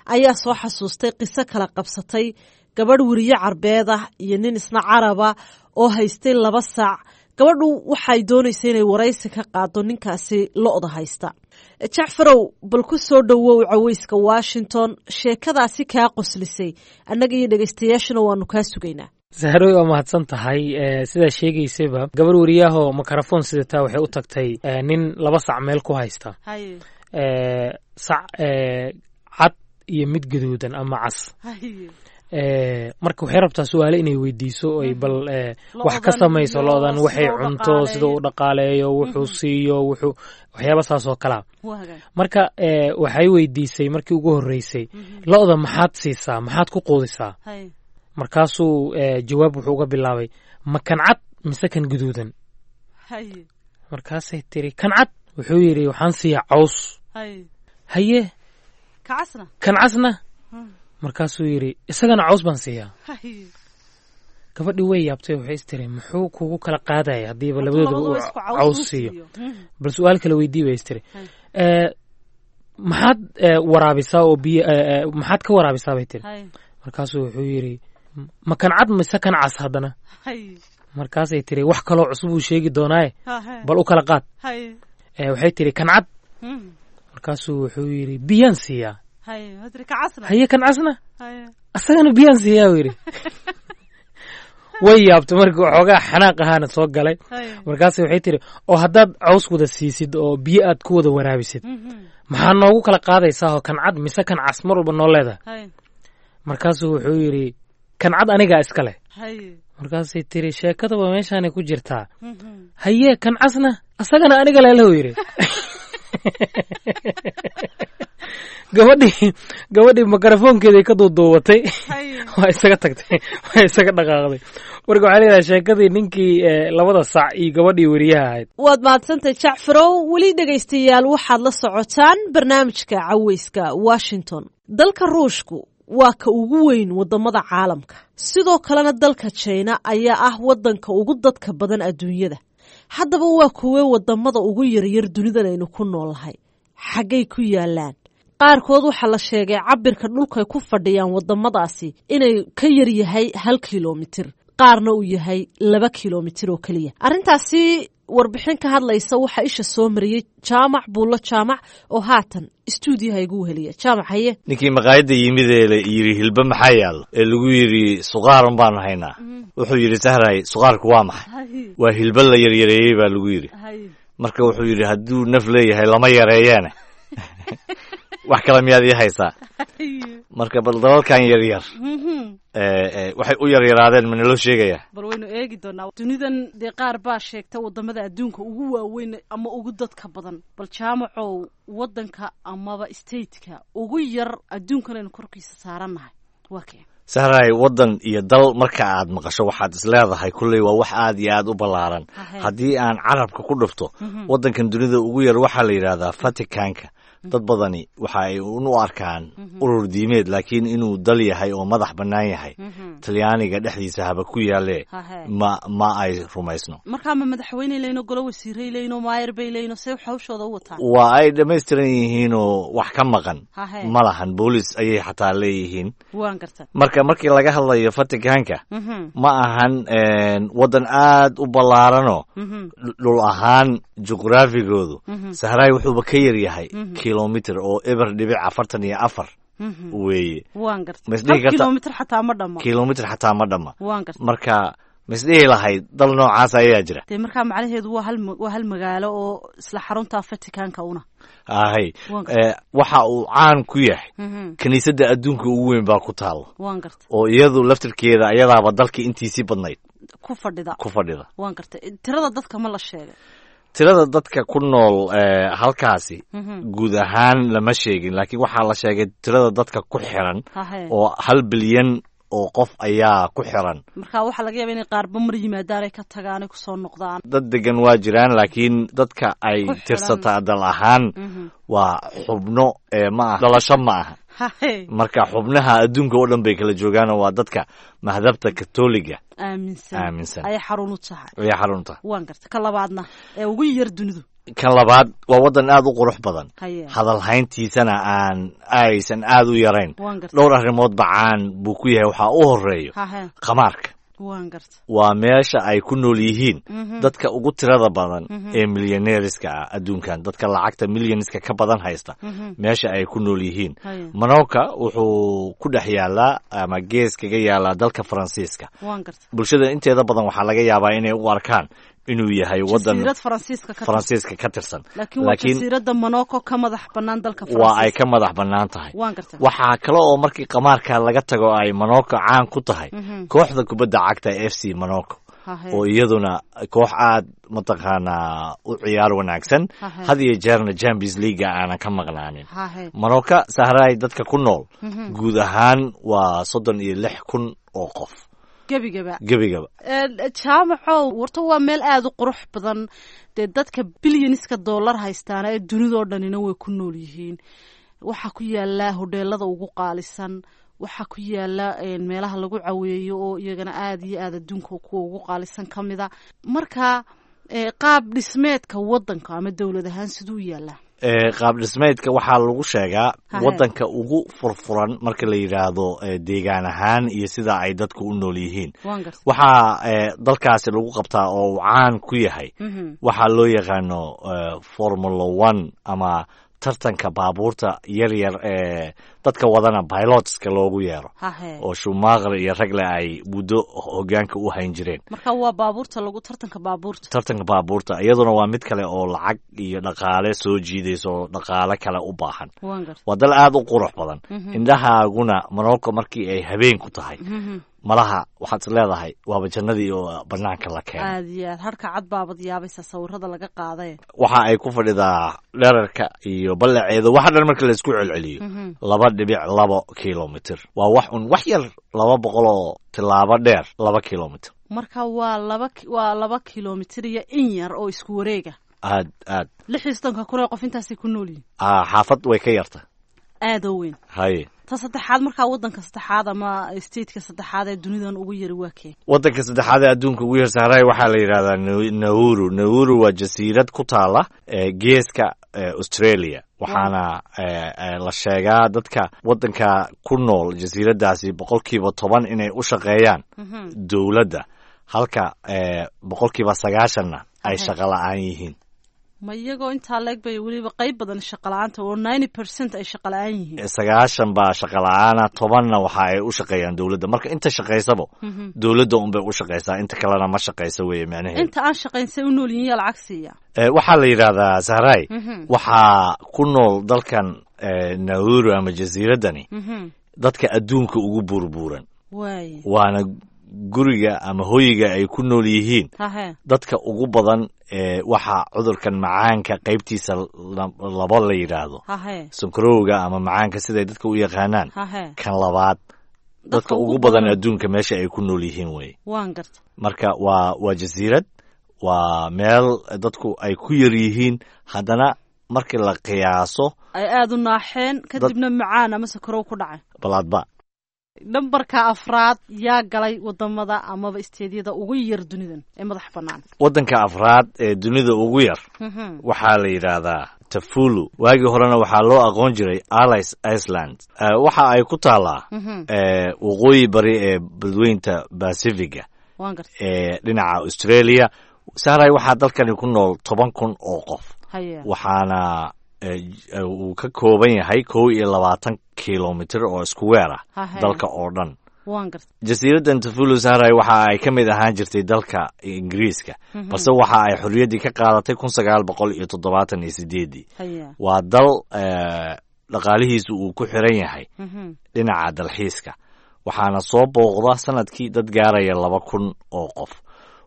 ayaa soo xasuustay qiso kala qabsatay gabadh weriye carbeed ah iyo nin isna caraba oo haystay laba saac. Gabadhu waxay doonaysa inay waraysi ka qaado ninkaasi lo-da haysta. Jacfarow, bal ku soo dhowow Caweyska Washington. Sheekadaasi kaa qoslisay annaga iyo dhegaystayaashuna waanu kaa sugaynaa. Sahroy, waa mahadsan tahay. Sidaa sheegaysayba, gabar wariyahoo mikrofon sidataa waxay u tagtay nin laba sac meel ku haysta, sac cad iyo mid gaduudan ama cas. Marka waxay rabtaa su-aale inay weydiiso, ay bal wax ka samayso lo-dan, waxay cunto, sida uu dhaqaaleeyo, wuxuu siiyo, wuxuu waxyaaba saas oo kalaa. Marka waxay weydiisay markii ugu horreysay, "Lo-da maxaad siisaa, maxaad ku quudisaa?" Markaasuu jawaab wuxuu uga bilaabay, "Ma kan cad mise kan guduudan?" Markaasay tiri, "Kan cad." Wuxuu yidhi, "Waxaan siiyaa caws." "Haye, kan casna?" Markaasuu yidhi, "Isagana caws baan siiyaa." Gabadhii way yaabtay, waxay is tiri, "Muxuu kugu kala qaadaya haddiiba labadoodaba uu caws siiyo? Bal su-aal kale weydii," bay is tiri. "Maxaad waraabisaa oo biyo maxaad ka waraabisaa?" bay tiri. Markaasuu wuxuu yidhi, "Ma kan cad mise kan cas haddana?" Markaasay tiri, "Wax kaloo cusub uu sheegi doonaaye, bal u kala qaad." Waxay tiri, "Kan cad." Markaasuu wuxuu yidhi, "Biyaan siiyaa." "Haye, kan casna?" "Asagana biyaan siiyaa," uu yidhi. Way yaabtay markii, waxoogaa xanaaq ahaana soo galay. Markaas waxay tiri, "Oo haddaad caws wada siisid oo biyo aad ku wada waraabisid, maxaa noogu kala qaadaysaa oo kan cad mise kan cas mar walba noo leedahay?" Markaasuu wuxuu yidhi, "Kan cad anigaa iska leh." Markaasay tiri, "Sheekadaba meeshaanay ku jirtaa. Haye, kan casna?" "Asagana aniga leelahu," yidhi. Gabadhii gabadhii mikrofoonkeeday ka duuduubatay, waa isaga tagtay, waa isaga dhaqaaqday. Marka waxaa leedahay sheekadii ninkii labada sac iyo gabadhii weriyaha ahayd. Waad mahadsantahay Jacfarow. Weli dhegaystayaal waxaad la socotaan barnaamijka Caweyska Washington. Dalka Ruushku Waa ka ugu weyn wadamada caalamka. Sidoo kalena dalka Jina ayaa ah wadanka ugu dadka badan adduunyada. Haddaba waa kuwee wadamada ugu yaryar dunidan aynu ku noolnahay? Xaggay ku yaalaan? Qaarkood waxaa la sheegay cabirka dhulkay ku fadhiyaan wadamadaasi inay ka yaryahay hal kilomitir, qaarna uu yahay laba kilomitir oo keliya. Arrintaasi warbixin ka hadlaysa waxaa isha soo mariyey Jaamac Buullo Jaamac oo haatan istuudiyaha igu weheliya. Jaamac, haye. Ninkii maqaayadda yimid ee la yidhi hilba maxaa yaalo, ee lagu yidhi suqaarun baanu haynaa, wuxuu yidhi: "Sahray, suqaarku waa maxay?" "Waa hilba la yaryareeyey," baa lagu yidhi. Marka wuxuu yidhi: "Hadduu naf leeyahay lama yareeyeene, wax kale miyaad ii haysaa?" Marka bal dalalkan yaryar waxay u yaryaraadeen ma naloo sheegayaa? Bal waynu eegi doonaa. Dunidan dee qaar baa sheegta wadamada adduunka ugu waaweyn ama ugu dadka badan. Bal Jaamacow, wadanka amaba stateka ugu yar adduunkan aynu korkiisa saarannahay waa kee? Sahray, waddan iyo dal marka aad maqasho waxaad is leedahay kulley waa wax aad iyo aad u ballaaran. Haddii aan carabka ku dhufto, waddankan dunida ugu yar waxaa la yidhaahdaa Vaticanka. Dad badani waxa ay un u arkaan urur diimeed, laakiin inuu dal yahay oo madax bannaan yahay, Talyaaniga dhexdiisa haba ku yaalee, ma ma ay rumaysno. Markaa ma madaxweyney leyno, golo wasiiray leyno, maayar bay leyno, see hawshooda u wataan? Waa ay dhammaystiran yihiinoo wax ka maqan ma lahan. Boolis ayay xataa leeyihiin. Waan garta. Marka markii laga hadlayo Vaticanka, ma ahan waddan aad u ballaaranoo dhul ahaan juqraafigoodu, Sahraay, wuxuuba ka yar yahay kilomitr oo eber dhibic afartan iyo afar weeye. Waan garta, kilomitr xataa ma dhama. Kilomitr xataa ma dhama. Waan garta. Marka maisdhihi lahayd dal noocaas ayaa jira? Dee markaa macnaheedu waa hal waa hal magaalo oo isla xarunta Vaticanka una. Ahay, waxa uu caan ku yahay kiniisadda adduunka ugu weyn baa ku taalo. Waan garta. Oo iyadu laftirkeeda iyadaaba dalka intiisii badnayd ku fadhida. Ku fadhida. Waan garta. Tirada dadka ma la sheegay? Tirada dadka ku nool halkaasi guud ahaan lama sheegin, laakiin waxaa la sheegay tirada dadka ku xiran oo hal bilyan oo qof ayaa ku xiran. Marka waxaa laga yaaba inay qaarba mar yimaadaan, ay ka tagaan, ay kusoo noqdaan. Dad degan waa jiraan, laakiin dadka ay tirsataa dal ahaan waa xubno ee ma aha dhalasho ma aha. Marka xubnaha adduunka oo dhan bay kala joogaanoo waa dadka madhabta Katoliga aaminsan. Aaminsan. Ayay xarun u tahay. Ayay xarun u tahay. Waan garta. Ka labaadna ee ugu yar dunidu? Kan labaad waa waddan aad u qurux badan, hadalhayntiisana aan aysan aad u yarayn. Dhowr arrimoodba caan buu ku yahay. Waxaa u horeeyo khamaarka. Waan garta. Waa meesha ay ku nool yihiin dadka ugu tirada badan ee milyaneeriska ah adduunkan, dadka lacagta milyoniska ka badan haysta meesha ay ku nool yihiin. Monaco wuxuu ku dhex yaalaa ama gees kaga yaalaa dalka Faransiiska. Waan garta. Bulshada inteeda badan waxaa laga yaabaa inay u arkaan inuu yahay wadan jasiirad Faransiiska ka Faransiiska ka tirsan. Laakiin waa jasiiradda Monaco ka madax bannaan dalka Faransiiska. Waa ay ka madax bannaan tahay. Waan garta. Waxaa kale oo markii qamaarka laga tago ay Monaco caan ku tahay kooxda kubadda cagta F C Monaco, oo iyaduna koox aad mataqaanaa u ciyaar wanaagsan, had iyo jeerna Champions League aanan ka maqnaanin. Monaco, Sahraay, dadka ku nool guud ahaan waa soddon iyo lix kun oo qof. Gebigaba? Gebigaba. Jaamacow, warta waa meel aada u qurux badan. Dee dadka bilyaniska dollar haystaana ee dunidoo dhanina way ku nool yihiin. Waxaa ku yaala hodheelada ugu qaalisan, waxaa ku yaala meelaha lagu caweeyo oo iyagana aada iyo aada adduunka kuwa ugu qaalisan ka mida. Marka qaab dhismeedka wadanka ama dowlad ahaan siduu u yaalaa? Qaab dhismeedka waxaa lagu sheegaa waddanka ugu furfuran marka la yidhaahdo deegaan ahaan iyo sida ay dadku u nool yihiin. Waxaa dalkaasi lagu qabtaa oo uu caan ku yahay waxaa loo yaqaano Formula One ama tartanka baabuurta yar yar ee dadka wadana pilotska loogu yeero, oo Schumacher iyo ragle ay muddo hogaanka u hayn jireen. Marka waa baabuurta lagu tartanka baabuurta. Tartanka baabuurta iyaduna waa mid kale oo lacag iyo dhaqaale soo jiidaysa oo dhaqaale kale u baahan. Waa dal aad u qurux badan. Indhahaaguna Monaco markii ay habeen ku tahay, malaha waxaad is leedahay waaba jannadii oo banaanka la keenay. Aad iyo aad, harka cad baabad yaabaysa sawirada laga qaaday. Waxa ay ku fadhidaa dherarka iyo ballaceeda waxa dhan marka laisku celceliyo laba dhibic labo kilomitr. Waa wax un wax yar, laba boqol oo tilaabo dheer laba kilomitr. Marka waa laba waa laba kilomitr iyo in yar oo isku wareega. Aad aad. Lix iyo soddonka kun ee qof intaasay ku nool yihin. Xaafad way ka yarta. Aada u weyn. Haye. Ta saddexaad markaa, waddanka saddexaad ama stateka saddexaad ee dunidan ugu yari waa kee? Waddanka saddexaad ee adduunka ugu yar, Sahraay, waxaa la yidhahdaa Nauru. Nauru waa jasiirad ku taala geeska Australia, waxaana la sheegaa dadka waddanka ku nool jasiiraddaasi boqolkiiba toban inay u shaqeeyaan dowladda, halka boqolkiiba sagaashanna ay shaqo la-aan yihiin. Ma iyagoo intaa leeg bay weliba qayb badan shaqa la-aanta oo ninety percent ay shaqa la-aan yihiin? Sagaashan baa shaqa la-aana, tobanna waxa ay u shaqeeyaan dowladda. Marka inta shaqaysaba dowladda unbay u shaqaysaa, inta kalena ma shaqayso weeye macnaheedu. Inta aan shaqayn say u nool yihiin? Yaa lacag siiya? Waxaa la yidhahdaa, Sahraay, waxaa ku nool dalkan Nauru ama jasiiraddani dadka adduunka ugu buurbuuran, waana guriga ama hoyiga ay ku nool yihiin dadka ugu badan ee waxa cudurkan macaanka qaybtiisa laba la yidhaahdo, sonkorowga ama macaanka siday dadka u yaqaanaan, kan labaad dadka ugu badan adduunka meesha ay ku nool yihiin wey. Marka waa waa jasiirad, waa meel dadku ay ku yar yihiin, haddana markii la qiyaaso ay aada u naaxeen, kadibna macaan ama sonkorow ku dhacay. Balaadba. Nambarka afraad yaa galay wadamada amaba isteedyada ugu yar dunidan ee madax bannaan? Waddanka afraad ee dunida ugu yar waxaa la yidhaahdaa Tafulu. Waagii horena waxaa loo aqoon jiray Alice Iceland. Waxa ay ku taallaa waqooyi bari ee badweynta Pacifiga ee dhinaca Australia. Sahray, waxaa dalkani ku nool toban kun oo qof, waxaana uu ka kooban yahay kow iyo labaatan kilomitr oo isku weer ah dalka oo dhan. Jasiiraddan Tafulu, Sahray, waxa ay ka mid ahaan jirtay dalka Ingiriiska, balse waxa ay xorriyaddii ka qaadatay kun sagaal boqol iyo toddobaatan iyo sideeddii. Waa dal dhaqaalihiisu uu ku xiran yahay dhinaca dalxiiska, waxaana soo booqda sanadkii dad gaaraya laba kun oo qof.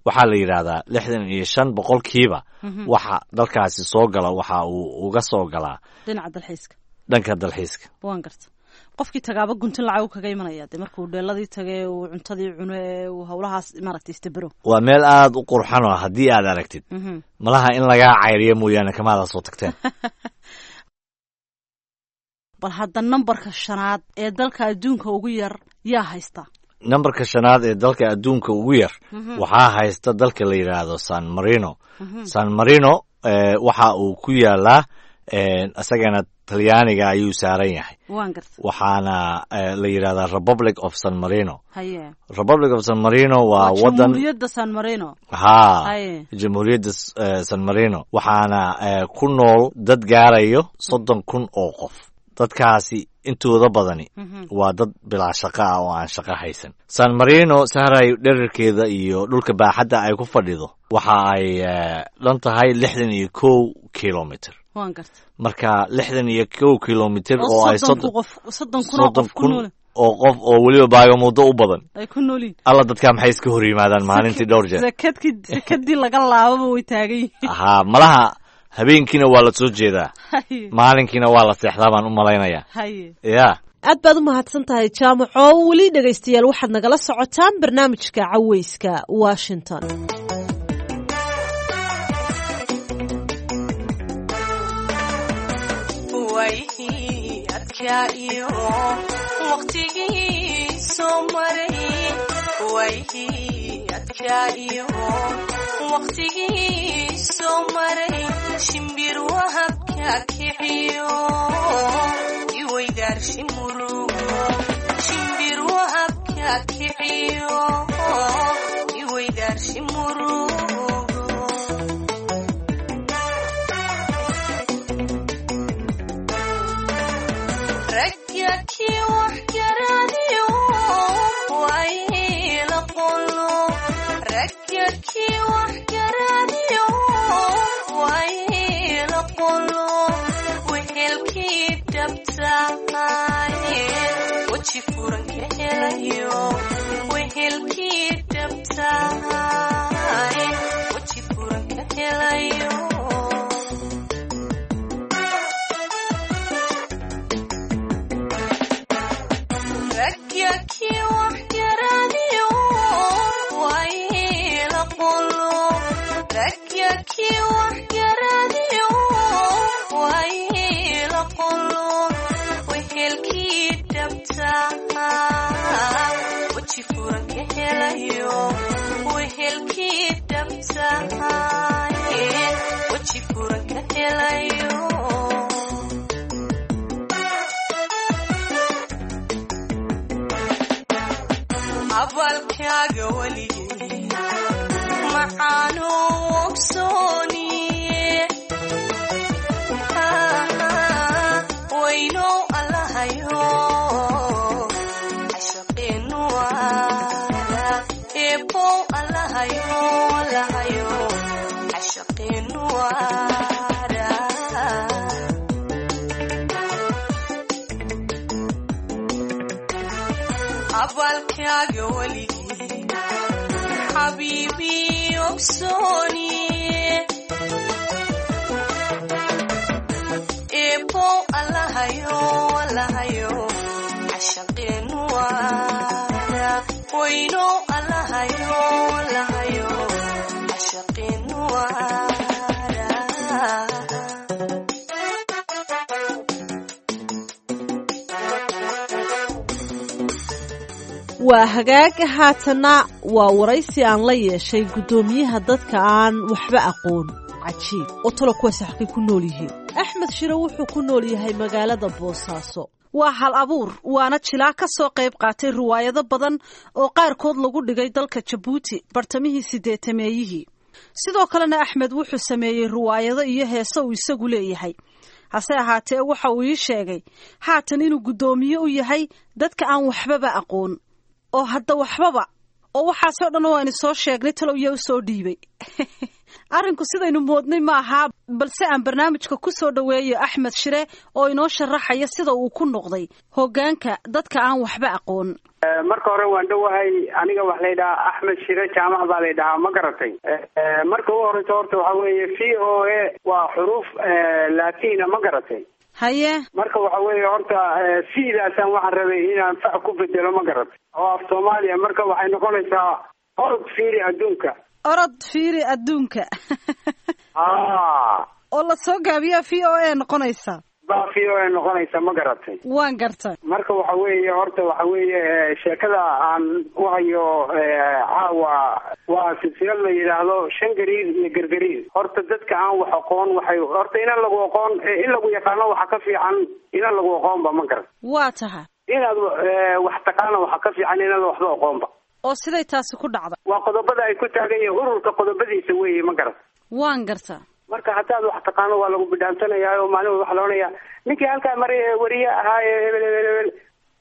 Waxaa la yidhaahdaa lixdan iyo shan boqolkiiba waxa dalkaasi soo gala waxa uu uga soo galaa dhinaca dalxiiska. Dhanka dalxiiska. Waan garta. Qofkii tagaaba guntin lacag kaga imanaya dee markuu dheeladii tagay, uu cuntadii cuno ee uu howlahaas maaragtay istabero. Waa meel aada u qurxan oo haddii aad aragtid malaha in lagaa cayriyo mooyaane kamaada soo tagteen. Bal hadda nambarka shanaad ee dalka adduunka ugu yar yaa haysta? Nambarka shanaad ee dalka adduunka ugu yar waxaa haysta dalka la yidhaahdo San Marino. San Marino waxa uu ku yaalaa isagana Talyaaniga ayuu saaran yahay, waxaana la yidhahdaa Republic of San Marino. Republic of San Marino waa wadan, ha, Jamhuuriyadda San Marino, waxaana ku nool dad gaarayo soddon kun oo qof. Dadkaasi intooda badani waa dad bilaa shaqo ah oo aan shaqo haysan. San Marino, Sahray, dherarkeeda iyo dhulka baaxadda ay ku fadhido waxa ay dhan tahay lixdan iyo kow kilomitr. Marka lixdan iyo kow kilomitr oo ay soddon kun oo qof oo weliba baagamudo u badan ay ku noolyihin. Alla, dadkaa maxay iska hor yimaadaan maalintii dhowr jeer? Sakadkii sakadii laga laababa way taagan yihiin. Haa, malaha habeenkiina waa la soo jeedaa, maalinkiina waa la seexdaa baan u malaynayaa. Ya. Aad baad u mahadsan tahay, Jaamaco. Weli dhegaystayaal waxaad nagala socotaan barnaamijka Caweyska Washington. Waqtigii soo maray shimbir wahabka kiciyo iweydaarshi murugo, shimbir wahabka kiciyo iweydaarshi murugo. Ragyakii wax garadiyo wayla qolo, ragyakii wax garadiyo wayla qolo, wehelkii dhabtaaye weji furan ka helayo, wehelkii dhabtaaye weji furan ka helayo. Ragyakii wax garadiyo wayla qolo, ragyakii wax garadiyo wayla qolo, wehelkii lahaayeen weji furan ka helayo. Abalkaaga weligay maxaanu ogsooniye, waynow allahayo cashaqeenu waara, eebow allahayo allahayo cashaqeenu waara. Abalkaaga weligay xabiibi ogsooniye, eebow allahayo allahayo cashaqeenu waara, waynow allahayo allahayo cashaqeenu waara. Waa hagaag. Haatanna waa waraysi aan la yeeshay guddoomiyaha dadka aan waxba aqoon. Cajiib oo talo kuwaasi xaqay ku nool yihiin. Axmed Shire wuxuu ku nool yahay magaalada Boosaaso. Waa hal abuur, waana jilaa ka soo qayb qaatay riwaayado badan oo qaarkood lagu dhigay dalka Jabuuti bartamihii sideetameeyihii. Sidoo kalena Axmed wuxuu sameeyey riwaayado iyo heese uu isagu leeyahay. Hase ahaatee waxa uu ii sheegay haatan inuu guddoomiye u yahay dadka aan waxbaba aqoon, oo hadda waxbaba oo waxaasoo dhan oo aynu soo sheegnay talow yaa u soo dhiibay. Arrinku sidaynu moodnay ma ahaa, balse aan barnaamijka ku soo dhoweeyo Axmed Shire oo inoo sharaxaya sida uu ku noqday hoggaanka dadka aan waxba aqoon. Marka hore waan dhowahay. Aniga wax laydhahaa Axmed Shire Jaamac baa laydhahaa, ma garatay? Marka ugu horeysa horta waxa weeye V O A waa xuruuf latina, ma garatay? Haye. Marka waxa weeye horta V-daasaan waxaan rabay inaan fac ku bedelo, ma garatay, oo af Soomaaliya. Marka waxay noqonaysaa orod fiiri adduunka. Orod fiiri adduunka. A Oo la soo gaabiyaa V O A noqonaysa. Baa V O A noqonaysa, ma garatay? Waan gartay. Marka waxa weeye horta waxa weeye sheekada aan u hayo caawa waa silsilad la yidhaahdo shan gariir iyo gargariir. Horta dadka aan wax aqoon waxay horta inaan lagu aqoon, in lagu yaqaano waxa ka fiican inaan lagu aqoonba, ma garat? Waa tahay. Inaad wax taqaano waxa ka fiican inaad waxba aqoonba. Oo siday taasi ku dhacday? Waa qodobada ay ku taagan yihiin ururka, qodobadiisa weeye, ma garat? Waan gartaa. Marka haddaad wax taqaano waa lagu bidhaansanaya oo maalin waxa la odhanayaa ninkii halkaa maray ee wariye ahaa ee hebel hebel hebel,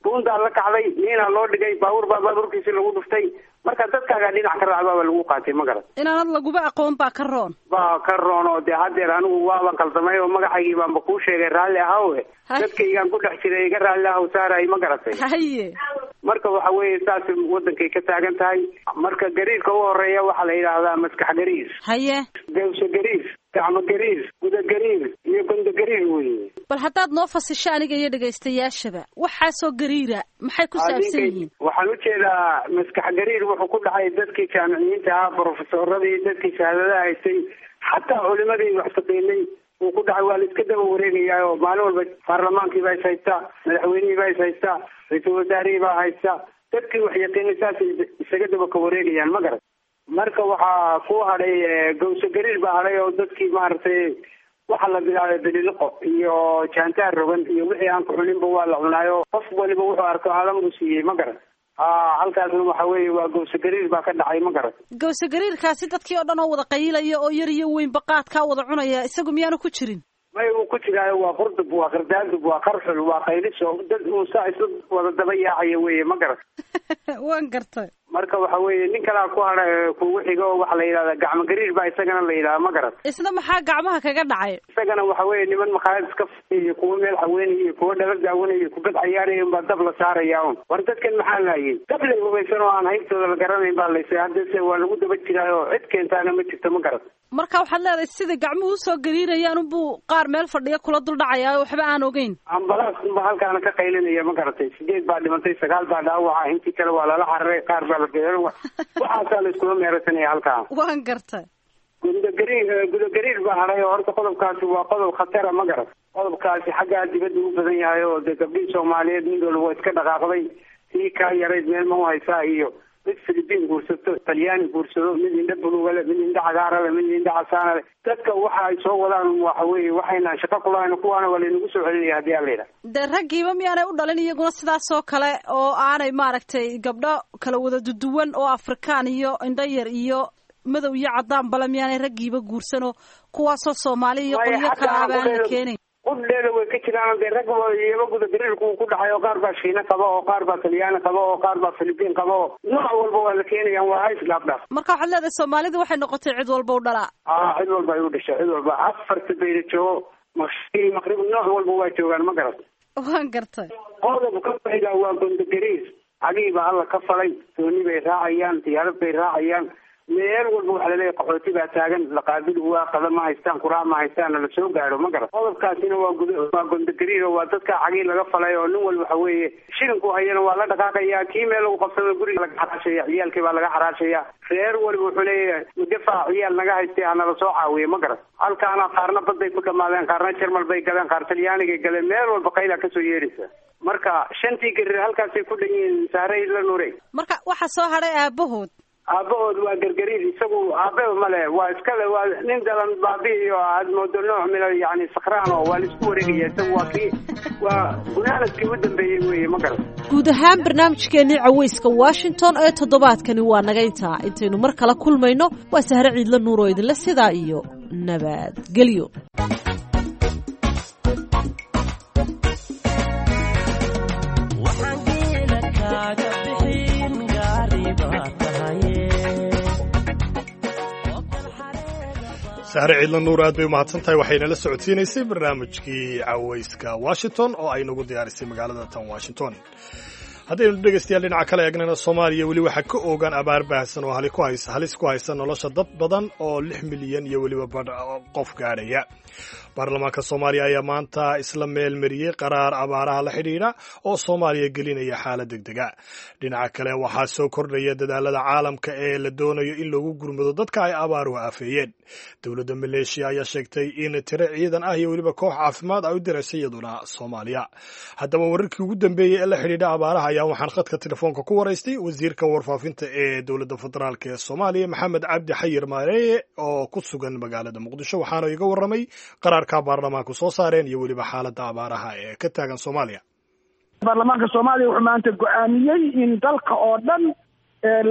buundaa la kacday, niinaa loo dhigay, baabuur baa baabuurkiisi lagu dhuftay. Marka dadkaagaa dhinac ka raacbaaba lagu qaatay, ma garat? Inaanad laguba aqoon baa ka roon. Baa ka roon. Oo dee haddeer anigu waaban qaldamay oo magacaygii baanba kuu sheegay, raalli ahawe. Dadkaygaan ku dhex jiray, iga raalli ahow saaray, ma garatay? Haye. Marka waxa weeye saas wadankay ka taagan tahay. Marka gariirka u horeeya waxaa la yidhaahdaa maskax gariir. Haye. Gawsho gariir, gacmo gariir, guda gariir iyo gondo gariir weeye. Bal haddaad noo fasisho aniga iyo dhegaystayaashaba, waxaasoo gariira maxay ku saabsan yihiin? Waxaan ujeedaa maskax gariir wuxuu ku dhacay dadkii jaamiciyiinta ahaa, brofesoradii, dadkii shahaadadaha haystay, xataa culimadii wax taqiinay uu ku dhacay. Waa la iska daba wareegayaa oo maalin walba baarlamaankii baa is haystaa, madaxweynihii baa is haystaa, ra-iisul wasaarihii baa haysta, dadkii wax yaqiinay saasay isaga daba ka wareegayaan, ma garat? Marka waxaa ku hadhay gawso gariir baa hadhay oo dadkii maaragtay waxaa la bilaabay bililiqo iyo jaantaar rogan iyo wixii aan ku cuninba waa la cunaayo, qof waliba wuxuu arko hadan buu siiyey, ma garat? A halkaasna waxa weeye waa gawso gariir baa ka dhacay, ma garat? Gawso gariirkaasi dadkii oo dhan oo wada qayilaya oo yar iyo weynba qaadkaa wada cunaya, isagu miyaanu ku jirin? May, uu ku jiraayo. Waa qurdub, waa qardaandub, waa qarxul, waa qayliso, dad uu saa isla wada daba yaacaya weeye, ma garat? Waan gartay. Marka waxa weeye nin kalaa ku hadha kugu xigo oo waxaa la yidhahdaa gacmo gariir baa isagana la yidhahdaa, ma garat? Isna maxaa gacmaha kaga dhacay? Isagana waxa weeye niman makhaayad iska faiyo, kuwa meel haweenaya iyo kuwa dhala daawanaya iyo kubad cayaaraya unbaa dab la saaraya un. War dadkan maxaa laayay? Dab lay hubaysan oo aan haybtooda la garanayn baa laysay, haddase waa lagu daba jiraayo, cid keentaana ma jirto, ma garat? Marka waxaad leedahay sida gacmuhu usoo gariirayaan unbuu qaar meel fadhiya kula dul dhacayaa oo waxba aan ogeyn. Ambalaas unba halkaana ka qaylinaya, ma garatay? Sideed baa dhimantay, sagaal baa dhaawaca, intii kale waa lala cararay, qaar baa la geeyo, waxaasaa la iskula meerasanaya halkaa. Waan gartay. Gudagariir, gudagariir baa hadhay oo horta qodobkaasi waa qodob khatara, ma garat? Qodobkaasi xaggaa dibadda u badan yahay oo dee gabdhihii Soomaaliyeed mid walba waa iska dhaqaaqday, tii kaa yarayd meel ma u haysaa iyo mid Philippine guursato, Talyaani guursado, mid indha buluuga leh, mid indha cagaara leh, mid indha casaana leh. Dadka waxa ay soo wadaan waxa weeye waxayna shaqo kulahayn, kuwaana waa laynagu soo celinaya haddii aan la yidhaha. Dee raggiiba miyaanay u dhalin iyaguna sidaas oo kale oo aanay maaragtay gabdho kala wada duduwan oo Afrikaan iyo indho yar iyo madow iyo caddaan bale miyaanay raggiiba guursanoo kuwaasoo Soomaali iyo qolyo kale aba aan la keenayn? Qudheeda way ka jiraan dee rag iyaba guda gariirku uu ku dhacay oo qaar baa Shiina qaba oo qaar baa Talyaani qaba oo qaar baa Philippine qaba oo nooc walba waa la keenayaan, waa hays dhaaf dhaaf. Marka waxaad leedahay Soomaalidu waxay noqotay cid walba u dhalaa. Aa, cid walba ay u dhashay, cid walba afarta bayna joogo, mashriq, maqrib, nooc walba waa joogaan, ma garat? Waan gartay. Qodobka ku xiga waa gondogariir. Cagihii baa Alla ka falay, dooni bay raacayaan, diyaarad bay raacayaan, meel walba waxaa laleeyahay qaxooti baa taagan, laqaabil waa qada ma haystaan, quraac ma haystaan, la soo gaaro, ma garat? Qodobkaasina waa gud waa gondogariir oo waa dadka cagihii laga falay oo nin walba waxa weeye shilinku hayana waa la dhaqaaqaya, kii meel lagu qabsado guriga laga xaraashaya, ciyaalkii baa laga xaraashaya, reer walba wuxuu leeyahay mudafac ciyaal naga haystay hanala soo caawiye, ma garat? Halkaana qaarna baday ku dhamaadeen, qaarna Jarmal bay galeen, qaar Talyaanigay galeen, meel walba qaylaa kasoo yeeraysa. Marka shantii gariir halkaasay ku dhan yihiin, saaray la nuurey. Marka waxaa soo hadhay aabahood. Aabahood waa gargariir, isagu aabeba male, waa iskale, waa nin dalan baabi'i oo aad moodo nooc mila yani sakraan oo waa laisku wareegaya, isagu waa kii waa gunaanadkii u dambeeyey weeye, ma garan. Guud ahaan barnaamijkeennii caweyska Washington ee toddobaadkani waa naga intaa. Intaynu mar kale kulmayno waa Sahre Ciidla Nuur oo idinle sidaa iyo nabadgelyo. Sahre Ciidla Nuur aad bay umahadsan tahay, waxayna la socodsiinaysay barnaamijkii caweyska Washington oo ay nagu diyaarisay magaalada tan Washington. Haddaynu dhegaystayaal dhinaca kale eegnana, Soomaaliya weli waxaa ka oogan abaar baahsan oo ku haysa halis ku haysa nolosha dad badan oo lix milyan iyo weliba badh qof gaadhaya. Baarlamaanka Soomaaliya ayaa maanta isla meel mariyey qaraar abaaraha la xidhiidha oo Soomaaliya gelinaya xaalad degdega. Dhinaca kale waxaa soo kordhaya dadaalada caalamka ee la doonayo in loogu gurmado dadka ay abaaruhu aafeeyeen. Dowladda Maleeshiya ayaa sheegtay in tiro ciidan ah iyo weliba koox caafimaad ay u diraysay iyaduna Soomaaliya. Haddaba wararkii ugu dambeeyey ee la xidhiidha abaaraha ayaa waxaan khadka telefoonka ku waraystay wasiirka warfaafinta ee dowladda federaalk ee Soomaaliya, Maxamed Cabdi Xayir Maareeye, oo ku sugan magaalada Muqdisho, waxaana iga warramay qaraarka baarlamaanku soo saareen iyo weliba xaaladda abaaraha ee ka taagan Soomaaliya. Baarlamaanka Soomaaliya wuxuu maanta go-aamiyey in dalka oo dhan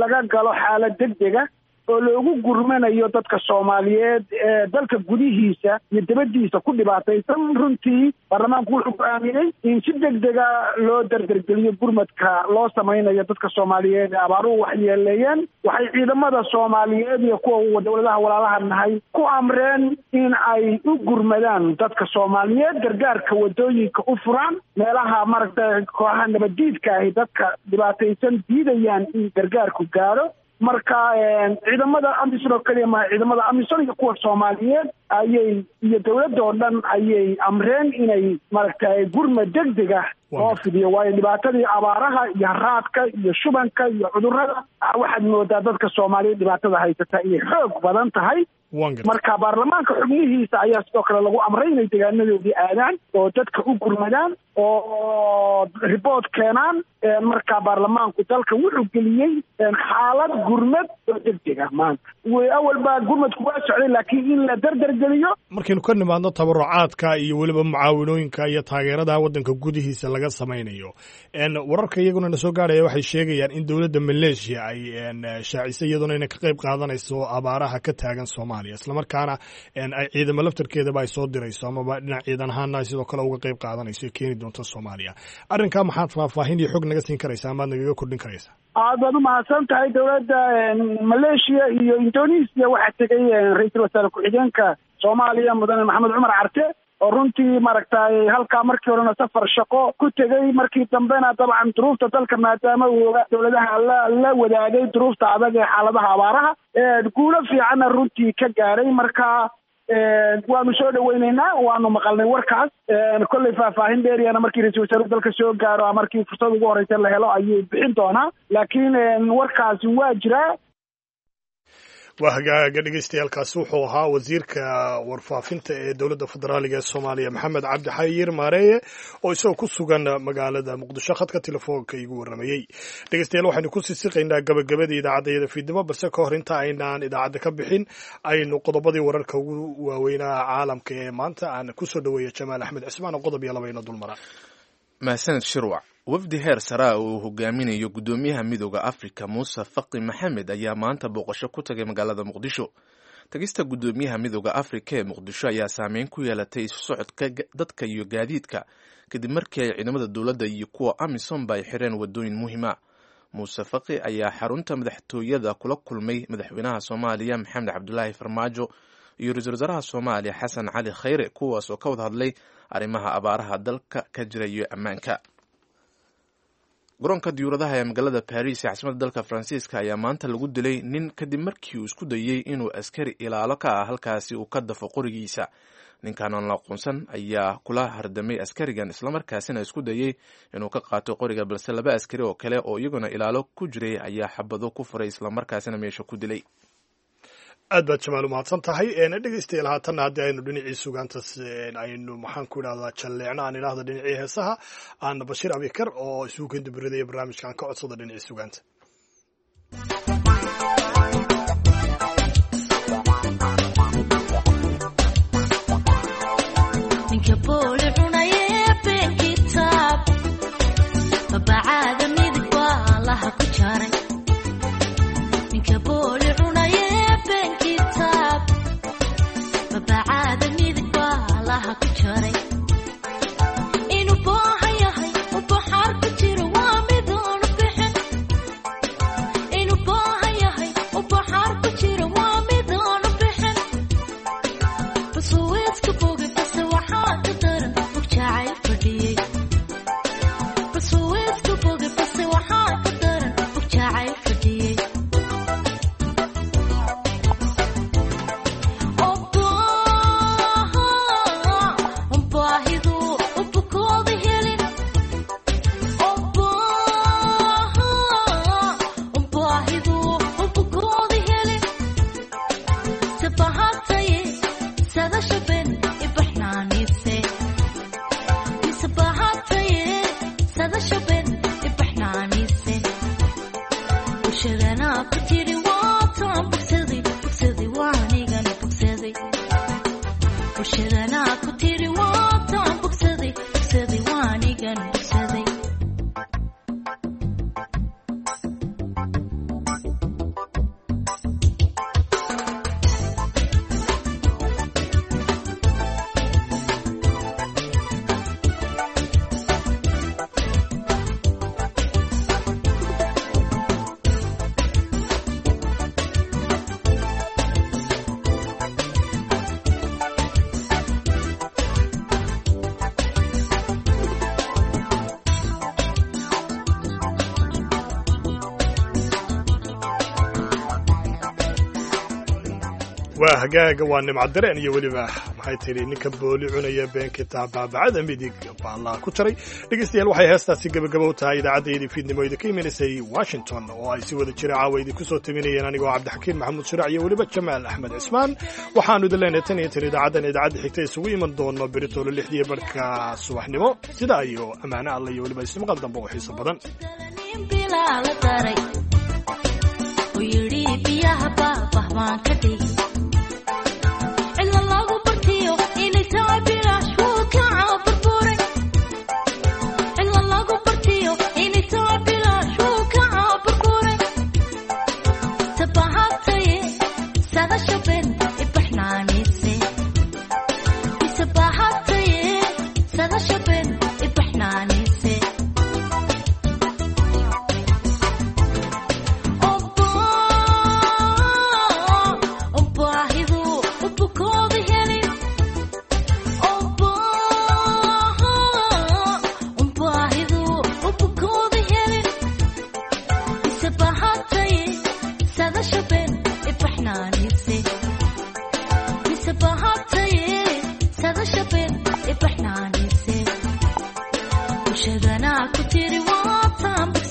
laga galo xaalad degdega oo loogu gurmanayo dadka Soomaaliyeed ee dalka gudihiisa iyo dibaddiisa ku dhibaataysan. Runtii baarlamaanku wuxuu go-aamiyey in si degdega loo dardargeliyo gurmadka loo samaynayo dadka Soomaaliyeed ee abaaruhu waxyeeleeyeen. Waxay ciidamada Soomaaliyeed iyo kuwa dowladaha walaalaha nahay ku amreen in ay u gurmadaan dadka Soomaaliyeed, gargaarka wadooyinka u furaan, meelaha maaragtay kooxaha nabaddiidka ahi dadka dhibaataysan diidayaan in gargaarku gaadho. Marka ciidamada AMISOM oo keliya maha, ciidamada AMISOM iyo kuwa Soomaaliyeed ayay iyo dowladda oo dhan ayay amreen inay maaragtay gurmad degdeg ah loo fidiyo, waayo dhibaatadii abaaraha iyo haraadka iyo shubanka iyo cudurrada waxaad moodaa dadka Soomaaliyeed dhibaatada haysata inay xoog badan tahay. Marka baarlamaanka xubnihiisa ayaa sidoo kale lagu amray inay deegaanadoodii aadaan oo dadka u gurmadaan oo riboort keenaan. Marka baarlamaanku dalka wuxuu geliyey xaalad gurmad oo degdeg ah maanta. Awal baa gurmadku waa socday, laakiin in la dardargeliyo. Markaynu ka nimaadno tabarucaadka iyo weliba mucaawinooyinka iyo taageerada waddanka gudihiisa laga samaynayo, wararka iyaguna na soo gaarhaya waxay sheegayaan in dowladda Maleeshiya ay shaacisay iyaduna inay ka qayb qaadanayso abaaraha ka taagan Soomaaliya, islamarkaana ay ciidamo laftarkeedaba ay soo dirayso amaba dhinac ciidan ahaana ay sidoo kale uga qayb qaadanayso keeni doonto Soomaaliya. Arrinkaa maxaad faahfaahin iyo xog naga siin karaysaa amaad nagaga kordhin karaysaa? Aad baad umahadsan tahay. Dowladda Maleeshiya iyo Indonesia waxaa tegay ra-iisul wasaare ku-xigeenka Soomaaliya mudane Maxamed Cumar Carte, oo runtii maaragtay halkaa markii horena safar shaqo ku tegey, markii dambena dabcan duruufta dalka maadaama uu dowladaha la la wadaagay duruufta adag ee xaaladaha abaaraha, guulo fiicanna runtii ka gaaray. Marka waanu soo dhaweyneynaa, waanu maqalnay warkaas. Kolley faahfaahin dheeriyana markii ra-iisul wasaaruhu dalka soo gaaro, markii fursad ugu horeysa la helo ayuu bixin doonaa, laakiin warkaasi waa jiraa. Waa hagaaga dhegeystayaaalkaasi wuxuu ahaa wasiirka warfaafinta ee dowladda federaaliga ee Soomaaliya, Maxamed Cabdi Xayir Maareeye, oo isagoo ku sugan magaalada Muqdisho khadka telefoonka igu warramayey. Dhegeystayaal, waxaynu ku sii siqaynaa gabagabadii idaacaddayada fiidnimo, balse ka hor inta aynaan idaacadda ka bixin aynu qodobadii wararka ugu waaweynaa caalamka ee maanta aan kusoo dhaweeya Jamaal Axmed Cismaan oo qodob iyo laba ino dulmara. Mahsaned Shirwac. Wafdi heer saraa uu hogaaminayo guddoomiyaha Midooda Afrika Muuse Faqi Maxamed ayaa maanta booqasho ku tagay magaalada Muqdisho. Tagista guddoomiyaha Midooda Afrika ee Muqdisho ayaa saameyn ku yeelatay isu socodka dadka iyo gaadiidka, kadib markii ay ciidamada dowladda iyo kuwa AMISOMba ay xireen wadooyin muhiima. Muuse Faqi ayaa xarunta madaxtooyada kula kulmay madaxweynaha Soomaaliya Maxamed Cabdulaahi Farmaajo iyo ra-iisul wasaaraha Soomaaliya Xasan Cali Khayre, kuwaas oo ka wada hadlay arrimaha abaaraha dalka ka jira iyo ammaanka. Garoonka diyuuradaha ee magaalada Baris ee caasimadda dalka Faransiiska ayaa maanta lagu dilay nin, kadib markii uu isku dayey inuu askari ilaalo ka ah halkaasi uu ka dafo qorigiisa. Ninkan aan la aqoonsan ayaa kula hardamay askarigan, islamarkaasina isku dayey inuu ka qaato qoriga, balse laba askari oo kale oo iyaguna ilaalo ku jiray ayaa xabado ku furay, islamarkaasina meesha ku dilay. Aad baad Jamaal umahadsan tahay. Dhegeystayaal, haatanna haddii aynu dhinacii sugaantas aynu maxaan ku idhahdaa jalleecno, aan idhaahda dhinacii heesaha, aan Bashiir Abikar oo isugu kendibiridaya barnaamijka aan ka codsada dhinacii sugaanta. Waa hagaaga, waa Nimcadareen iyo weliba maxay tidhi ninka booli cunaya beenkita baabacada midig baallaa ku jaray. Dhegeystayaal, waxay heestaasi gebagabo u tahay idaacaddayadii fiidnimo idinka imaneysay Washington, oo ay si wada jira caawa idinku soo taminayeen anigoo Cabdixakiin Maxamuud Shiraac iyo weliba Jamaal Axmed Cismaan. Waxaanu idin leenahay tan iyo tan idaacaddan idaacadda xigta isugu iman doono beritoolo lixdiiyo barhka subaxnimo. Sidaa iyo ammaano alla iyo weliba ismaqal dambe oo xiiso badan. Ku tiri waa taan.